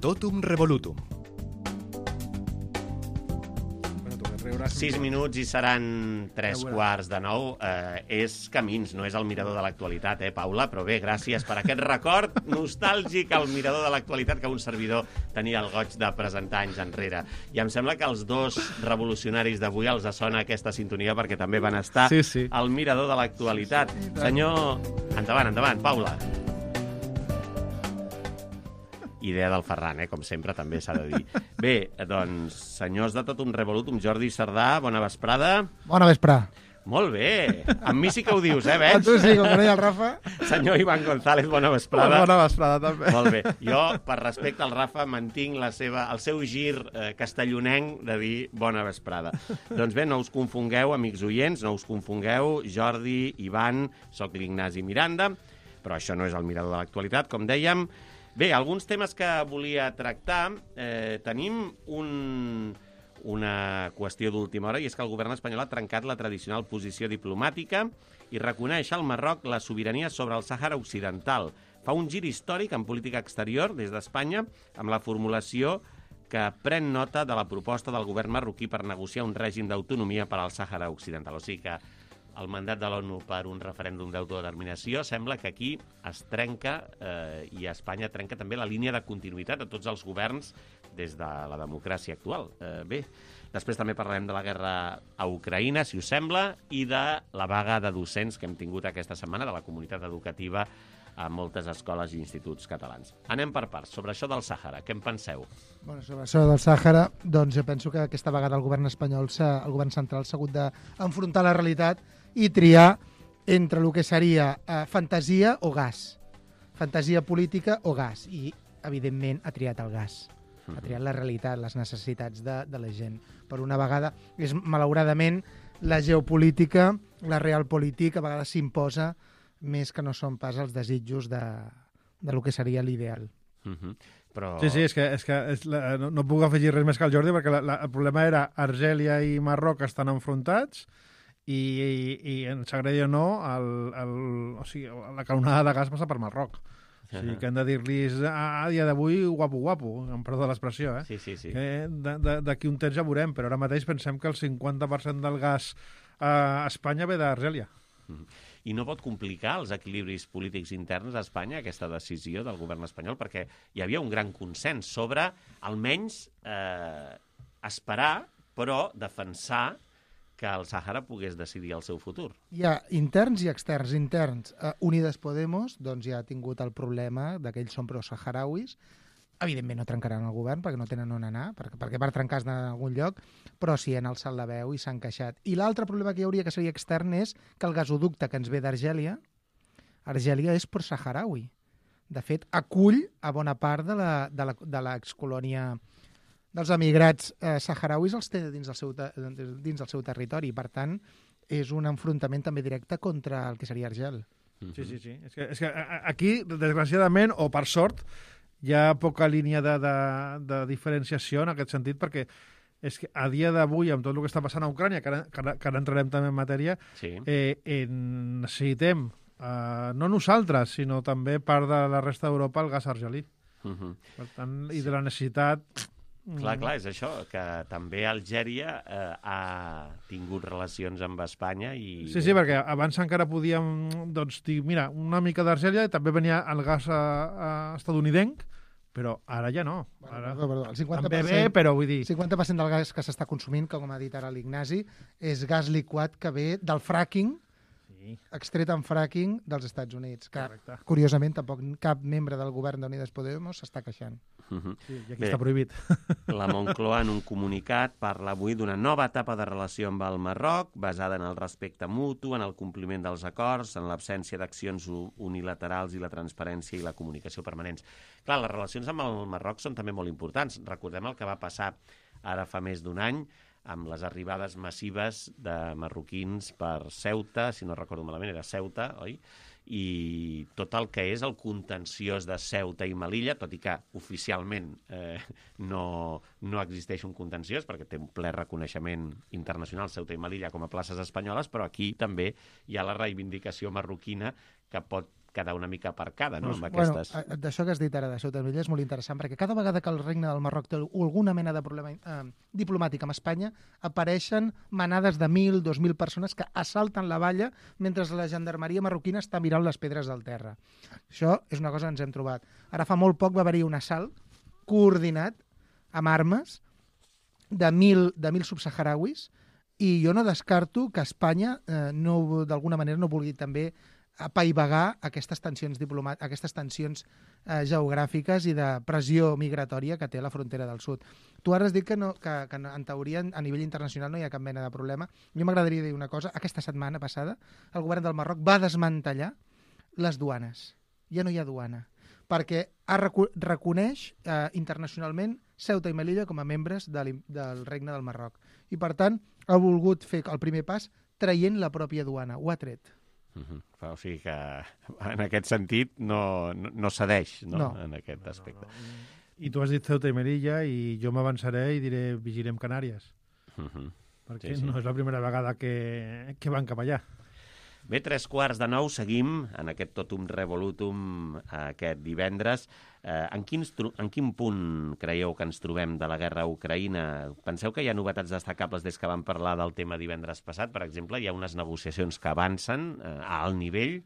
Totum revolutum. Sis minuts i seran tres quarts de nou. Eh, és Camins, no és el mirador de l'actualitat, eh, Paula? Però bé, gràcies per aquest record nostàlgic al mirador de l'actualitat que un servidor tenia el goig de presentar anys enrere. I em sembla que els dos revolucionaris d'avui els sona aquesta sintonia perquè també van estar sí, sí. al mirador de l'actualitat. Senyor... Endavant, endavant, Paula. Idea del Ferran, eh? Com sempre, també s'ha de dir. Bé, doncs, senyors de Totum Revolutum, Jordi Cerdà, bona vesprada. Bona vesprada. Molt bé. Amb mi sí que ho dius, eh, veig? A tu sí, com que no hi ha el Rafa. Senyor Ivan González, bona vesprada. Bona vesprada, també. Molt bé. Jo, per respecte al Rafa, mantinc la seva, el seu gir eh, castellonenc de dir bona vesprada. Doncs bé, no us confongueu, amics oients, no us confongueu. Jordi, Ivan, soc l'Ignasi Miranda, però això no és el mirador de l'actualitat, com dèiem. Bé, alguns temes que volia tractar. Eh, tenim un... una qüestió d'última hora, i és que el govern espanyol ha trencat la tradicional posició diplomàtica i reconeix al Marroc la sobirania sobre el Sàhara Occidental. Fa un gir històric en política exterior des d'Espanya amb la formulació que pren nota de la proposta del govern marroquí per negociar un règim d'autonomia per al Sàhara Occidental. O sigui que el mandat de l'ONU per un referèndum d'autodeterminació sembla que aquí es trenca eh, i Espanya trenca també la línia de continuïtat de tots els governs des de la democràcia actual. Eh, bé, després també parlarem de la guerra a Ucraïna, si us sembla, i de la vaga de docents que hem tingut aquesta setmana de la comunitat educativa a moltes escoles i instituts catalans. Anem per parts. Sobre això del Sàhara, què en penseu? Bueno, sobre això del Sàhara, doncs jo penso que aquesta vegada el govern espanyol, el govern central, s'ha hagut d'enfrontar la realitat i triar entre el que seria eh, fantasia o gas. Fantasia política o gas. I, evidentment, ha triat el gas. Ha triat la realitat, les necessitats de, de la gent. Per una vegada, és malauradament la geopolítica, la realpolitik, a vegades s'imposa més que no són pas els desitjos de, de lo que seria l'ideal. Uh-huh. Però... Sí, sí, és que, és que és la, no, no puc afegir res més que el Jordi, perquè la, la, el problema era Argèlia i Marroc estan enfrontats i, i, i ens agradi o no, el, el, o sigui, la canonada de gas passa per Marroc. O sigui, que hem de dir-los a dia d'avui guapo, guapo, em perdó l'expressió, eh? Sí, sí, sí. Que d'aquí un temps ja veurem, però ara mateix pensem que el cinquanta per cent del gas a Espanya ve d'Argèlia. I no pot complicar els equilibris polítics interns a Espanya, aquesta decisió del govern espanyol, perquè hi havia un gran consens sobre, almenys, eh, esperar, però defensar que el Sàhara pogués decidir el seu futur. Hi ha interns i externs. Interns, eh, Unides Podemos doncs ja ha tingut el problema d'aquells són pro-saharauis. Evidentment no trencaran el govern perquè no tenen on anar, perquè, perquè per trencar es d'anar a algun lloc, però sí han alçat la veu i s'han queixat. I l'altre problema que hi hauria, que seria extern, és que el gasoducte que ens ve d'Argèlia, Argèlia és pro-saharaui. De fet, acull a bona part de la, de la, de l'excolònia dels emigrats eh, saharauis els té dins del, seu, dins del seu territori. Per tant, és un enfrontament també directe contra el que seria Argel. Sí, sí, sí. És que, és que aquí, desgraciadament, o per sort, hi ha poca línia de, de, de diferenciació en aquest sentit, perquè és que a dia d'avui, amb tot el que està passant a Ucrània, que ara, que ara, que ara entrarem també en matèria, sí. eh, eh, necessitem, eh, no nosaltres, sinó també part de la resta d'Europa, el gas argelí. Uh-huh. Per tant, i de la necessitat... Clar, clar, és això, que també Algèria eh, ha tingut relacions amb Espanya i... Sí, sí, perquè abans encara podíem doncs, dir, mira, una mica d'Argèlia i també venia el gas a, a estadounidenc, però ara ja no. Ara... Perdó, perdó, el cinquanta per cent, també bé, però vull dir... El cinquanta per cent del gas que s'està consumint, com ha dit ara l'Ignasi, és gas liquat que ve del fracking, sí. extret en fracking dels Estats Units, que, correcte. Curiosament, tampoc cap membre del govern d'Unides Podemos s'està queixant. Uh-huh. Sí, i aquí Bé, està prohibit. La Moncloa, en un comunicat, parla avui d'una nova etapa de relació amb el Marroc, basada en el respecte mutu, en el compliment dels acords, en l'absència d'accions unilaterals i la transparència i la comunicació permanents. Clar, les relacions amb el Marroc són també molt importants. Recordem el que va passar ara fa més d'un any, amb les arribades massives de marroquins per Ceuta, si no recordo malament, era Ceuta, oi? I tot el que és el contenciós de Ceuta i Melilla, tot i que oficialment eh, no, no existeix un contenciós, perquè té un ple reconeixement internacional Ceuta i Melilla com a places espanyoles, però aquí també hi ha la reivindicació marroquina que pot quedar una mica aparcada, no?, amb aquestes... Bueno, d'això que has dit ara de Ceuta i Melilla és molt interessant, perquè cada vegada que el regne del Marroc té alguna mena de problema eh, diplomàtic amb Espanya, apareixen manades de mil, dos mil persones que assalten la valla mentre la gendarmeria marroquina està mirant les pedres del terra. Això és una cosa que ens hem trobat. Ara fa molt poc va haver-hi un assalt coordinat amb armes de mil, de mil subsaharauis i jo no descarto que Espanya eh, no, d'alguna manera no vulgui també apaivagar aquestes tensions diplomàtiques, aquestes tensions eh, geogràfiques i de pressió migratòria que té la frontera del sud. Tu ara has dit que, no, que, que en teoria a nivell internacional no hi ha cap mena de problema. Jo m'agradaria dir una cosa. Aquesta setmana passada el govern del Marroc va desmantellar les duanes. Ja no hi ha duana. Perquè ha recu reconeix eh, internacionalment Ceuta i Melilla com a membres de del Regne del Marroc. I, per tant, ha volgut fer el primer pas traient la pròpia duana. Ho ha tret. Uh-huh. O sigui que, en aquest sentit, no, no, no cedeix, no? No. En aquest aspecte. No, no. I tu has dit Ceuta i Melilla i jo m'avançaré i diré vigilem Canàries. Uh-huh. Perquè sí, sí. no és la primera vegada que, que van cap allà. Bé, tres quarts de nou, seguim en aquest totum revolutum aquest divendres. Eh, en, quins, en quin punt creieu que ens trobem de la guerra a Ucraïna? Penseu que hi ha novetats destacables des que vam parlar del tema divendres passat? Per exemple, hi ha unes negociacions que avancen eh, a alt nivell,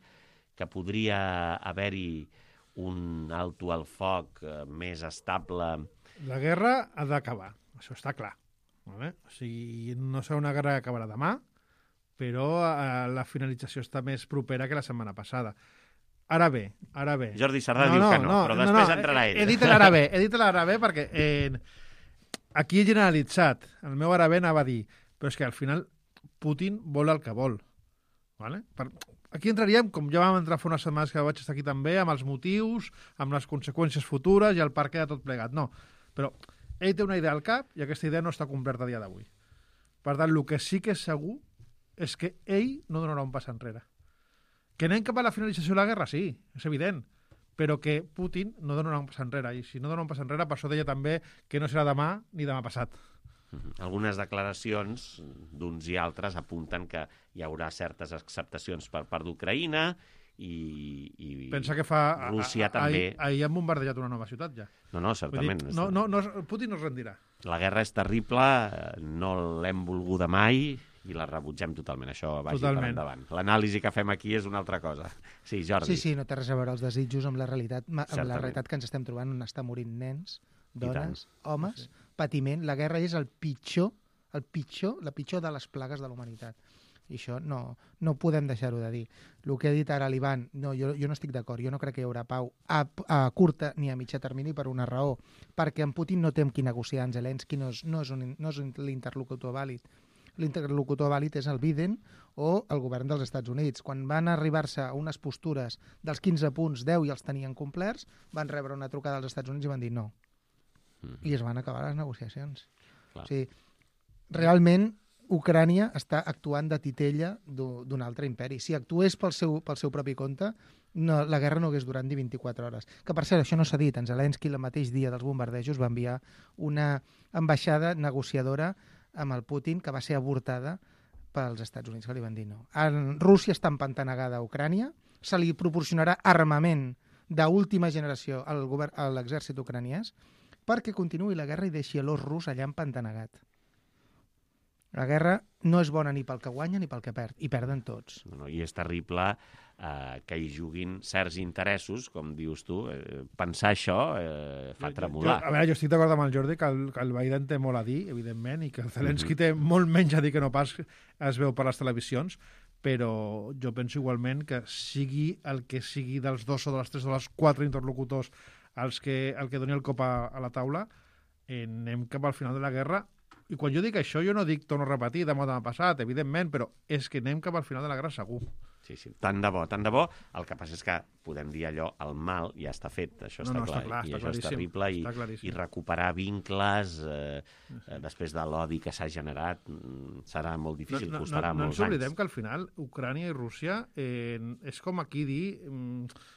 que podria haver-hi un alto al foc eh, més estable. La guerra ha d'acabar, això està clar. Vale? O sigui, no serà una guerra que acabarà demà, però eh, la finalització està més propera que la setmana passada. Ara bé, ara bé. Jordi Sardà no, diu no, que no, no però no, després no, entrarà ell. He, he dit l'ara bé, he dit l'ara bé perquè eh, aquí he generalitzat. El meu ara bé anava a dir, però és que al final Putin vol el que vol. Vale? Per, aquí entraríem, com ja vam entrar fa unes setmanes que vaig estar aquí també, amb els motius, amb les conseqüències futures i el per què de tot plegat. No, però ell té una idea al cap i aquesta idea no està completa a dia d'avui. Per tant, el que sí que és segur és que ell no donarà un pas enrere. Que anem cap a la finalització de la guerra, sí, és evident, però que Putin no donarà un pas enrere, i si no dona un pas enrere, per això deia també que no serà demà ni demà passat. Algunes declaracions d'uns i altres apunten que hi haurà certes acceptacions per part d'Ucraïna i, i pensa que fa, Rússia a, a, també. Ahir, ahir han bombardejat una nova ciutat, ja. No, no, certament. Dir, no, no, no, Putin no es rendirà. La guerra és terrible, no l'hem volguda mai i la rebutgem totalment, això vagi totalment per endavant. L'anàlisi que fem aquí és una altra cosa. Sí, Jordi. Sí, sí, no té res a veure els desitjos amb la realitat, amb la realitat que ens estem trobant, on està morint nens, dones, homes, sí. Patiment. La guerra és el pitjor, el pitjor, la pitjor de les plagues de la humanitat. I això no, no podem deixar-ho de dir. El que ha dit ara l'Ivan, no, jo, jo no estic d'acord, jo no crec que hi haurà pau a, a curta ni a mitjà termini per una raó, perquè en Putin no té amb qui negociar, en Zelensky no és, no és, un, no és l'interlocutor vàlid. L'interlocutor vàlid és el Biden o el govern dels Estats Units. Quan van arribar-se a unes postures dels quinze punts, deu i els tenien complerts, van rebre una trucada dels Estats Units i van dir no. Mm-hmm. I es van acabar les negociacions. Clar. O sigui, realment Ucrània està actuant de titella d'un altre imperi. Si actués pel seu, pel seu propi compte, no, la guerra no hagués durat ni vint-i-quatre hores. Que, per cert, això no s'ha dit. En Zelensky, el mateix dia dels bombardejos, va enviar una ambaixada negociadora amb el Putin, que va ser avortada pels Estats Units, que li van dir no. En Rússia està empantanegada a Ucrània, se li proporcionarà armament d'última generació al govern, a l'exèrcit ucraniès, perquè continuï la guerra i deixi l'os rus allà empantanegat. La guerra no és bona ni pel que guanya ni pel que perd, i perden tots. No, no, i és terrible eh, que hi juguin certs interessos, com dius tu. Eh, pensar això eh, fa tremolar. Jo, a veure, jo estic d'acord amb el Jordi que el, que el Biden té molt a dir, evidentment, i que el Zelensky mm-hmm. té molt menys a dir que no pas es veu per les televisions, però jo penso igualment que sigui el que sigui dels dos o de les tres o de les quatre interlocutors els que, el que doni el cop a, a la taula, eh, anem cap al final de la guerra. I quan jo dic això, jo no dic, torno a repetir, demà demà passat, evidentment, però és que anem cap al final de la guerra segur. Sí, sí, tant de bo, tant de bo. El que passa és que podem dir allò, el mal ja està fet, això no, està no, clar, està clar, i està això és terrible, i, i recuperar vincles eh, sí. eh, després de l'odi que s'ha generat serà molt difícil, no, no, costarà no, no molts anys. No ens oblidem que al final Ucrània i Rússia eh, és com aquí dir... Mm,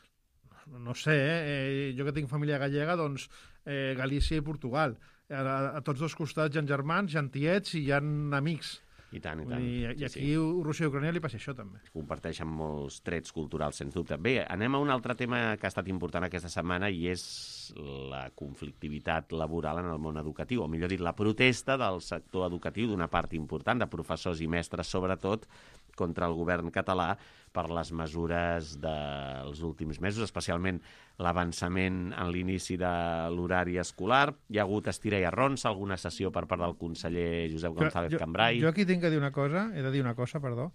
no sé, eh, jo que tinc família gallega, doncs eh, Galícia i Portugal. A, a tots dos costats hi ha germans, hi ha tiets i hi ha amics. I tant, i tant. I, i aquí sí, sí. Rússia i Ucrània li passa això també. Comparteixen molts trets culturals, sens dubte. Bé, anem a un altre tema que ha estat important aquesta setmana i és la conflictivitat laboral en el món educatiu, o millor dit, la protesta del sector educatiu d'una part important de professors i mestres, sobretot, contra el govern català per les mesures dels últims mesos, especialment l'avançament en l'inici de l'horari escolar. Hi ha hagut estira i arronsa, alguna sessió per part del conseller Josep González jo, Cambray. Jo aquí tinc que dir una cosa, he de dir una cosa, perdó.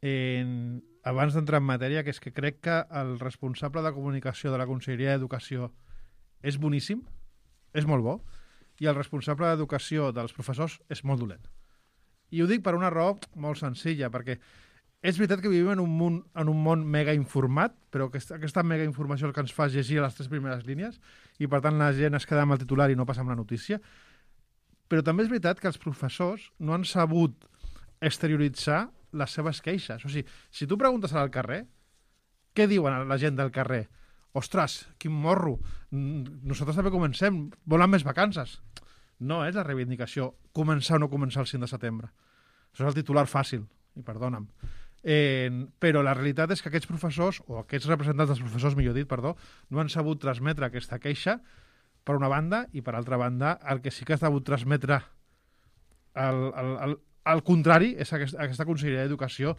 en, abans d'entrar en matèria, que és que crec que el responsable de comunicació de la Conselleria d'Educació és boníssim, és molt bo, i el responsable d'educació dels professors és molt dolent. I ho dic per una raó molt senzilla, perquè és veritat que vivim en un món, en un món mega informat, però aquesta, aquesta mega informació el que ens fa és llegir les tres primeres línies i, per tant, la gent es queda amb el titular i no passa amb la notícia. Però també és veritat que els professors no han sabut exterioritzar les seves queixes. O sigui, si tu preguntes al carrer, què diuen la gent del carrer? Ostres, quin morro, nosaltres també comencem, volen més vacances. No és la reivindicació començar o no començar el cinc de setembre. Això és el titular fàcil, i perdona'm. Eh, però la realitat és que aquests professors, o aquests representants dels professors, millor dit, perdó, no han sabut transmetre aquesta queixa, per una banda, i per altra banda, el que sí que ha sabut transmetre al, al, al, al contrari és aquest, aquesta Conselleria d'Educació,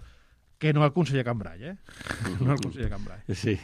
que no el conseller Cambray, eh? No el conseller Cambray. Sí.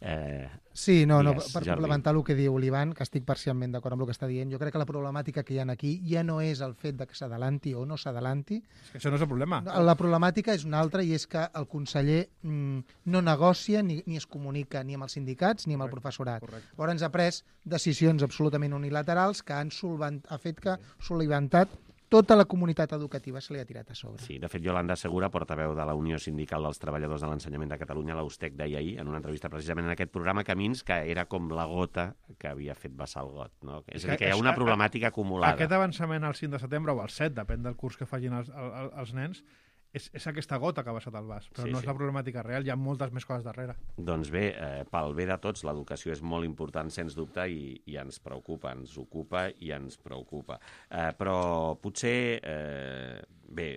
Eh, sí, no, no, digues, per Jordi. complementar el que diu l'Ivan, que estic parcialment d'acord amb el que està dient, jo crec que la problemàtica que hi ha aquí ja no és el fet de que s'adalanti o no s'adalanti. És que això no és el problema. La problemàtica és una altra, i és que el conseller mm, no negocia ni, ni es comunica ni amb els sindicats ni amb el professorat. Correcte. Llavors ha pres decisions absolutament unilaterals que han solvent, ha fet que soliventat tota la comunitat educativa se li ha tirat a sobre. Sí, de fet, Yolanda Segura, portaveu de la Unió Sindical dels Treballadors de l'Ensenyament de Catalunya, l'U S T E C, deia ahir, en una entrevista precisament en aquest programa Camins, que era com la gota que havia fet vessar el got. No? És a dir, que hi ha una problemàtica acumulada. Aquest avançament al cinc de setembre o al set, depèn del curs que facin els, els, els nens, és, és aquesta gota que ha vessat el vas, però Sí, no sí. és la problemàtica real, hi ha moltes més coses darrere. Doncs bé, eh, pel bé de tots, l'educació és molt important, sens dubte, i, i ens preocupa, ens ocupa i ens preocupa. Eh, però potser, eh, bé,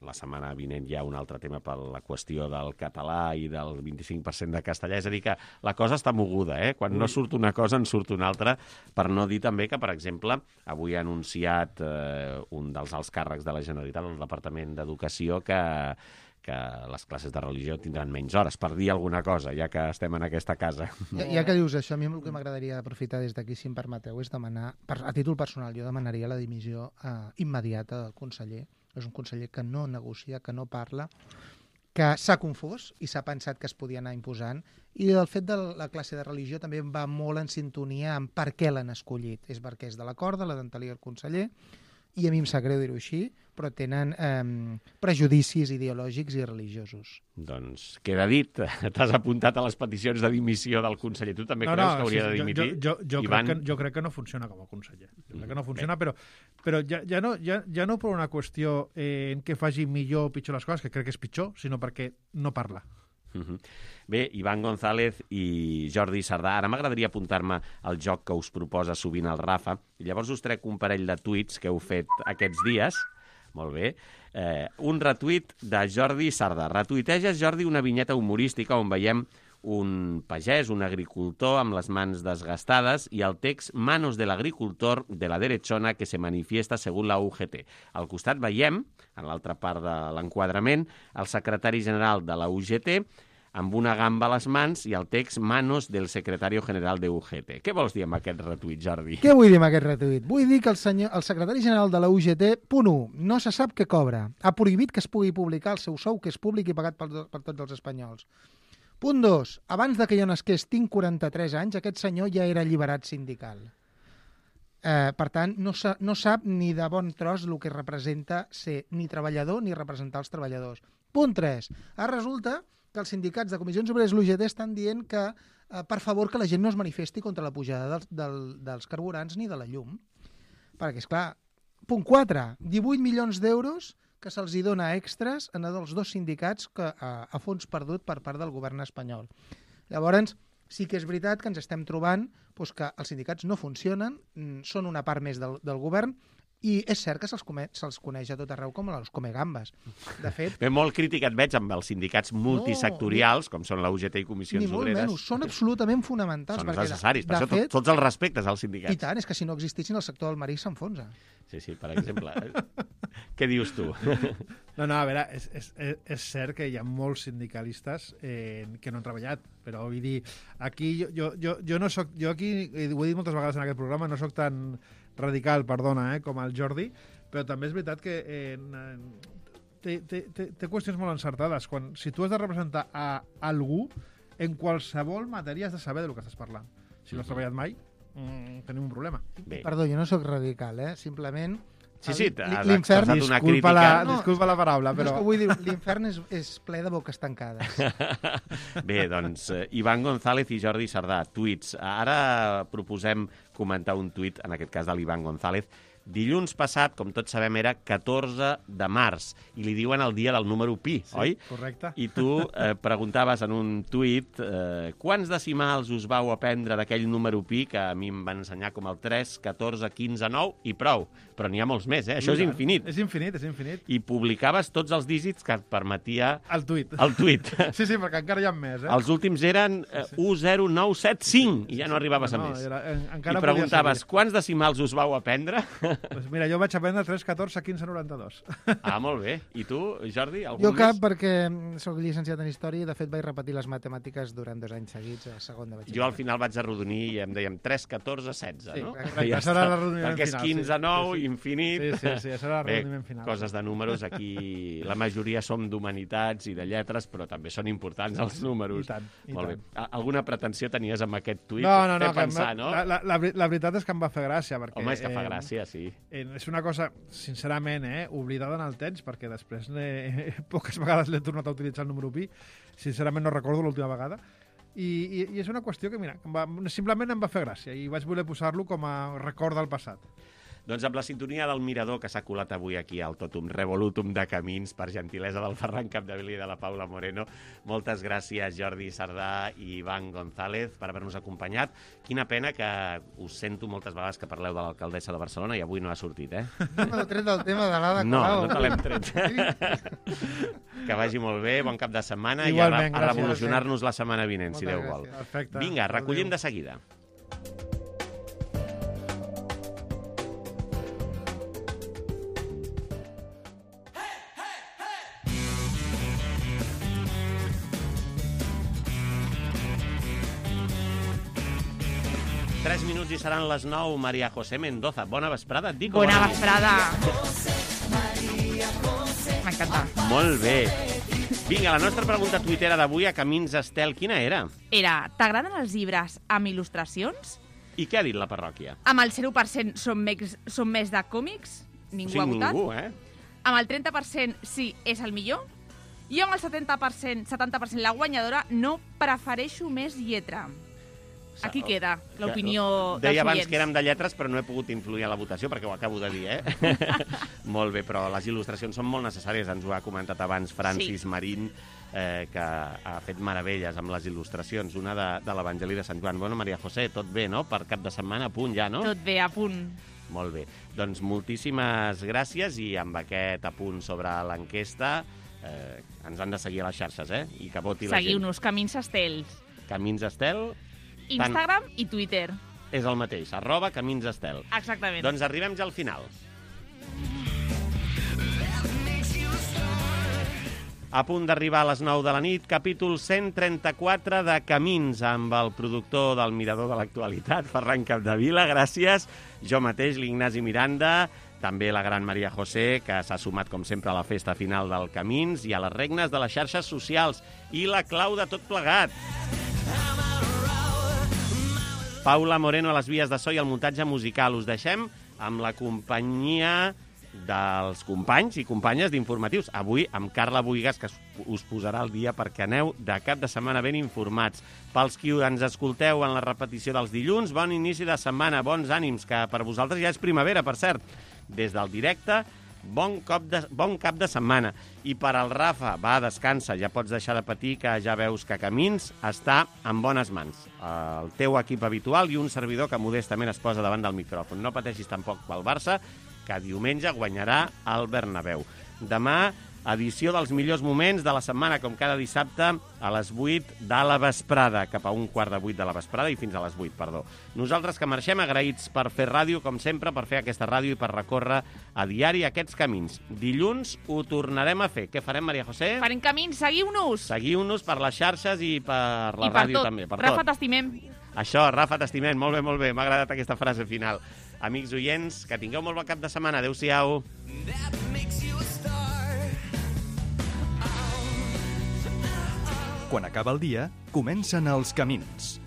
la setmana vinent hi ha un altre tema per la qüestió del català i del vint-i-cinc per cent de castellà, és a dir que la cosa està moguda, eh? Quan no surt una cosa en surt una altra, per no dir també que, per exemple, avui ha anunciat eh, un dels alts càrrecs de la Generalitat, el Departament d'Educació, que, que les classes de religió tindran menys hores, per dir alguna cosa, ja que estem en aquesta casa. Ja, ja que dius això, a mi el que m'agradaria aprofitar des d'aquí, si em permeteu, és demanar, per, a títol personal, jo demanaria la dimissió eh, immediata del conseller. És un conseller que no negocia, que no parla, que s'ha confós i s'ha pensat que es podia anar imposant, i el fet de la classe de religió també va molt en sintonia amb per què l'han escollit. És perquè és de la corda, la d'anterior conseller, i a mi em sap greu dir-ho així, però tenen eh, prejudicis ideològics i religiosos. Doncs queda dit, t'has apuntat a les peticions de dimissió del conseller. Tu també No, creus no, que hauria sí, de jo- dimitir? Jo, jo, jo, Ivan? crec que, jo crec que no funciona com a conseller. Jo crec que no Mm, funciona, bé. però, però ja, ja, no, ja, ja no per una qüestió eh, en què faci millor o pitjor les coses, que crec que és pitjor, sinó perquè no parla. Mhm. Bé, Ivan González i Jordi Sardà, ara m'agradaria apuntar-me al joc que us proposa sovint el Rafa, i llavors us trec un parell de tuits que heu fet aquests dies. Molt bé. Eh, un retuit de Jordi Sardà. Retuiteges, Jordi, una vinyeta humorística on veiem un pagès, un agricultor amb les mans desgastades i el text «Manos del agricultor de la derechona que se manifiesta según la U G T». Al costat veiem, en l'altra part de l'enquadrament, el secretari general de la U G T amb una gamba a les mans i el text «Manos del secretario general de U G T». Què vols dir amb aquest retuit, Jordi? Què vull dir amb aquest retuit? Vull dir que el, senyor, el secretari general de la U G T, punt u, no se sap què cobra. Ha prohibit que es pugui publicar el seu sou, que és públic i pagat per, per tots els espanyols. Punt dos, abans de que jo nasqués, tinc quaranta-tres anys, aquest senyor ja era alliberat sindical. Eh, per tant, no, sa, no sap ni de bon tros el que representa ser ni treballador ni representar els treballadors. Punt tres, ara resulta que els sindicats de comissions obreres i l'U G T estan dient que, eh, per favor, que la gent no es manifesti contra la pujada dels, del, dels carburants ni de la llum. Perquè, esclar, punt quatre, divuit milions d'euros que se'ls hi dona extras en els dos sindicats que, a, a fons perdut per part del govern espanyol. Llavors, sí que és veritat que ens estem trobant doncs, que els sindicats no funcionen, són una part més del, del govern, i és cert que se'ls se coneix a tot arreu com els comegambes. De fet... Bé, molt crític et veig amb els sindicats multisectorials, no, com són la U G T i Comissions ni molt Obreres. Menys, són absolutament fonamentals. Són perquè, necessaris, per de això fet, tot, tots els respectes als sindicats. I tant, és que si no existissin el sector del marisc s'enfonsa. Sí, sí, per exemple. Què dius tu? No, no, a veure, és, és, és cert que hi ha molts sindicalistes eh, que no han treballat, però vull dir, aquí jo, jo, jo, jo no soc, jo aquí, ho he dit moltes vegades en aquest programa, no soc tan radical, perdona, eh, com el Jordi, però també és veritat que eh, té, té, té, té qüestions molt encertades. Quan, si tu has de representar a algú, en qualsevol matèria has de saber del que estàs parlant. Si no has treballat mai, mm, tenim un problema. Bé. Perdó, jo no sóc radical, eh? Simplement... Sí, sí, l- has l'infern- expressat una Disculpa crítica. la, No, disculpa la paraula, No, és però... que vull dir, l'infern és, és ple de boques tancades. Bé, doncs, eh, Ivan González i Jordi Sardà, tuits. Ara proposem comentar un tuit, en aquest cas de l'Ivan González. Dilluns passat, com tots sabem, era catorze de març, i li diuen el dia del número pi, Sí, oi? correcte. I tu eh, preguntaves en un tuit eh, quants decimals us vau aprendre d'aquell número pi, que a mi em van ensenyar com el tres, catorze, quinze, nou, i prou. Però n'hi ha molts més, eh? Això és infinit. És infinit, és infinit. I publicaves tots els dígits que et permetia El tuit. el tuit. Sí, sí, perquè encara hi ha més, eh? Els últims eren eh, u zero nou set cinc i ja no arribaves No, a més. era- en- encara I podia preguntaves, seguir. quants decimals us vau aprendre? Pues mira, jo vaig aprendre tres, catorze, quinze, noranta-dos. Ah, molt bé. I tu, Jordi, algun Jo cap, més? perquè sóc llicenciat en Història i, de fet, vaig repetir les matemàtiques durant dos anys seguits a segon de batxillerat. Jo al final vaig arrodonir i em dèiem tres, catorze, setze, Sí, no? exacte. I ja Això era està. l'arrodoniment Perquè és final, quinze, sí. nou, Sí, sí. infinit. Sí, sí, sí, això era l'arrodoniment Bé, final, coses sí. de números, aquí la majoria som d'humanitats i de lletres, però també són importants els números. I tant, i molt tant. bé. A- Alguna pretensió tenies amb aquest tuit? No, no, no. Fer que pensar, em- no? La, la, la, veri- la veritat és que em va fer gràcia. Perquè, Home, és que fa eh, gràcia, sí. Eh, és una cosa, sincerament, eh, oblidada en el temps, perquè després eh, poques vegades l'he tornat a utilitzar el número pi. Sincerament no recordo l'última vegada. I, i, I és una qüestió que, mira, que em va, simplement em va fer gràcia i vaig voler posar-lo com a record del passat. Doncs amb la sintonia del Mirador que s'ha colat avui aquí al Totum Revolutum de Camins, per gentilesa del Ferran Capdevila i de la Paula Moreno, moltes gràcies Jordi Sardà i Ivan González per haver-nos acompanyat. Quina pena que us sento moltes vegades que parleu de l'alcaldessa de Barcelona i avui no ha sortit, eh? No m'heu tret del tema de l'Ada No, Colau. no te l'hem tret. Que vagi molt bé, bon cap de setmana Igualment, i a, a gràcies. revolucionar-nos la setmana vinent, si Moltes Déu vol. gràcies. Perfecte. Vinga, recollim Adéu. de seguida. Tres minuts i seran les nou. Maria José Mendoza, bona vesprada. Et dic, o Bona bona nit? vesprada. M'encanta. Molt bé. Vinga, la nostra pregunta tuitera d'avui a Camins Estel, quina era? Era, t'agraden els llibres amb il·lustracions? I què ha dit la parròquia? Amb el zero per cent són més, són més de còmics? Ningú o sigui, ha votat? ningú, eh? Amb el trenta per cent sí, és el millor? I amb el setanta per cent, setanta per cent la guanyadora, no prefereixo més lletra. Aquí queda l'opinió dels Deia abans oients. que érem de lletres, però no he pogut influir en la votació, perquè ho acabo de dir, eh? Molt bé, però les il·lustracions són molt necessàries. Ens ho ha comentat abans Francis Sí. Marín, eh, que ha fet meravelles amb les il·lustracions. Una de, de l'Evangeli de Sant Joan. Bueno, Maria José, tot bé, no? Per cap de setmana, a punt ja, no? Tot bé, a punt. Molt bé. Doncs moltíssimes gràcies i amb aquest apunt sobre l'enquesta eh, ens han de seguir a les xarxes, eh? I que voti la gent. Seguiu-nos, Camins Estels. Camins Estel Instagram i Twitter. és el mateix, arroba Camins Estel. Exactament. Doncs arribem ja al final. A punt d'arribar a les nou de la nit, capítol cent trenta-quatre de Camins, amb el productor del Mirador de l'Actualitat, Ferran Capdevila, gràcies. Jo mateix, l'Ignasi Miranda, també la gran Maria José, que s'ha sumat, com sempre, a la festa final del Camins i a les regnes de les xarxes socials. I la clau de tot plegat. Paula Moreno a les vies de so i el muntatge musical. Us deixem amb la companyia dels companys i companyes d'informatius. Avui amb Carla Buigas, que us posarà al dia perquè aneu de cap de setmana ben informats. Pels qui ens escolteu en la repetició dels dilluns, bon inici de setmana, bons ànims, que per vosaltres ja és primavera, per cert. Des del directe, bon, cop de, bon cap de setmana. I per al Rafa, va, descansa, ja pots deixar de patir, que ja veus que Camins està en bones mans. El teu equip habitual i un servidor que modestament es posa davant del micròfon. No pateixis tampoc pel Barça, que diumenge guanyarà el Bernabéu. Demà, edició dels millors moments de la setmana, com cada dissabte, a les vuit de la vesprada, cap a un quart de vuit de la vesprada i fins a les vuit, perdó. Nosaltres que marxem agraïts per fer ràdio, com sempre, per fer aquesta ràdio i per recórrer a diari aquests camins. Dilluns ho tornarem a fer. Què farem, Maria José? Farem camins, seguiu-nos! Seguiu-nos per les xarxes i per la I per ràdio tot. també. Per Rafa, tot. t'estimem. Això, Rafa, t'estimem. Molt bé, molt bé. M'ha agradat aquesta frase final. Amics oients, que tingueu molt bon cap de setmana. Adéu-siau. That makes you a star. Quan acaba el dia, comencen els camins.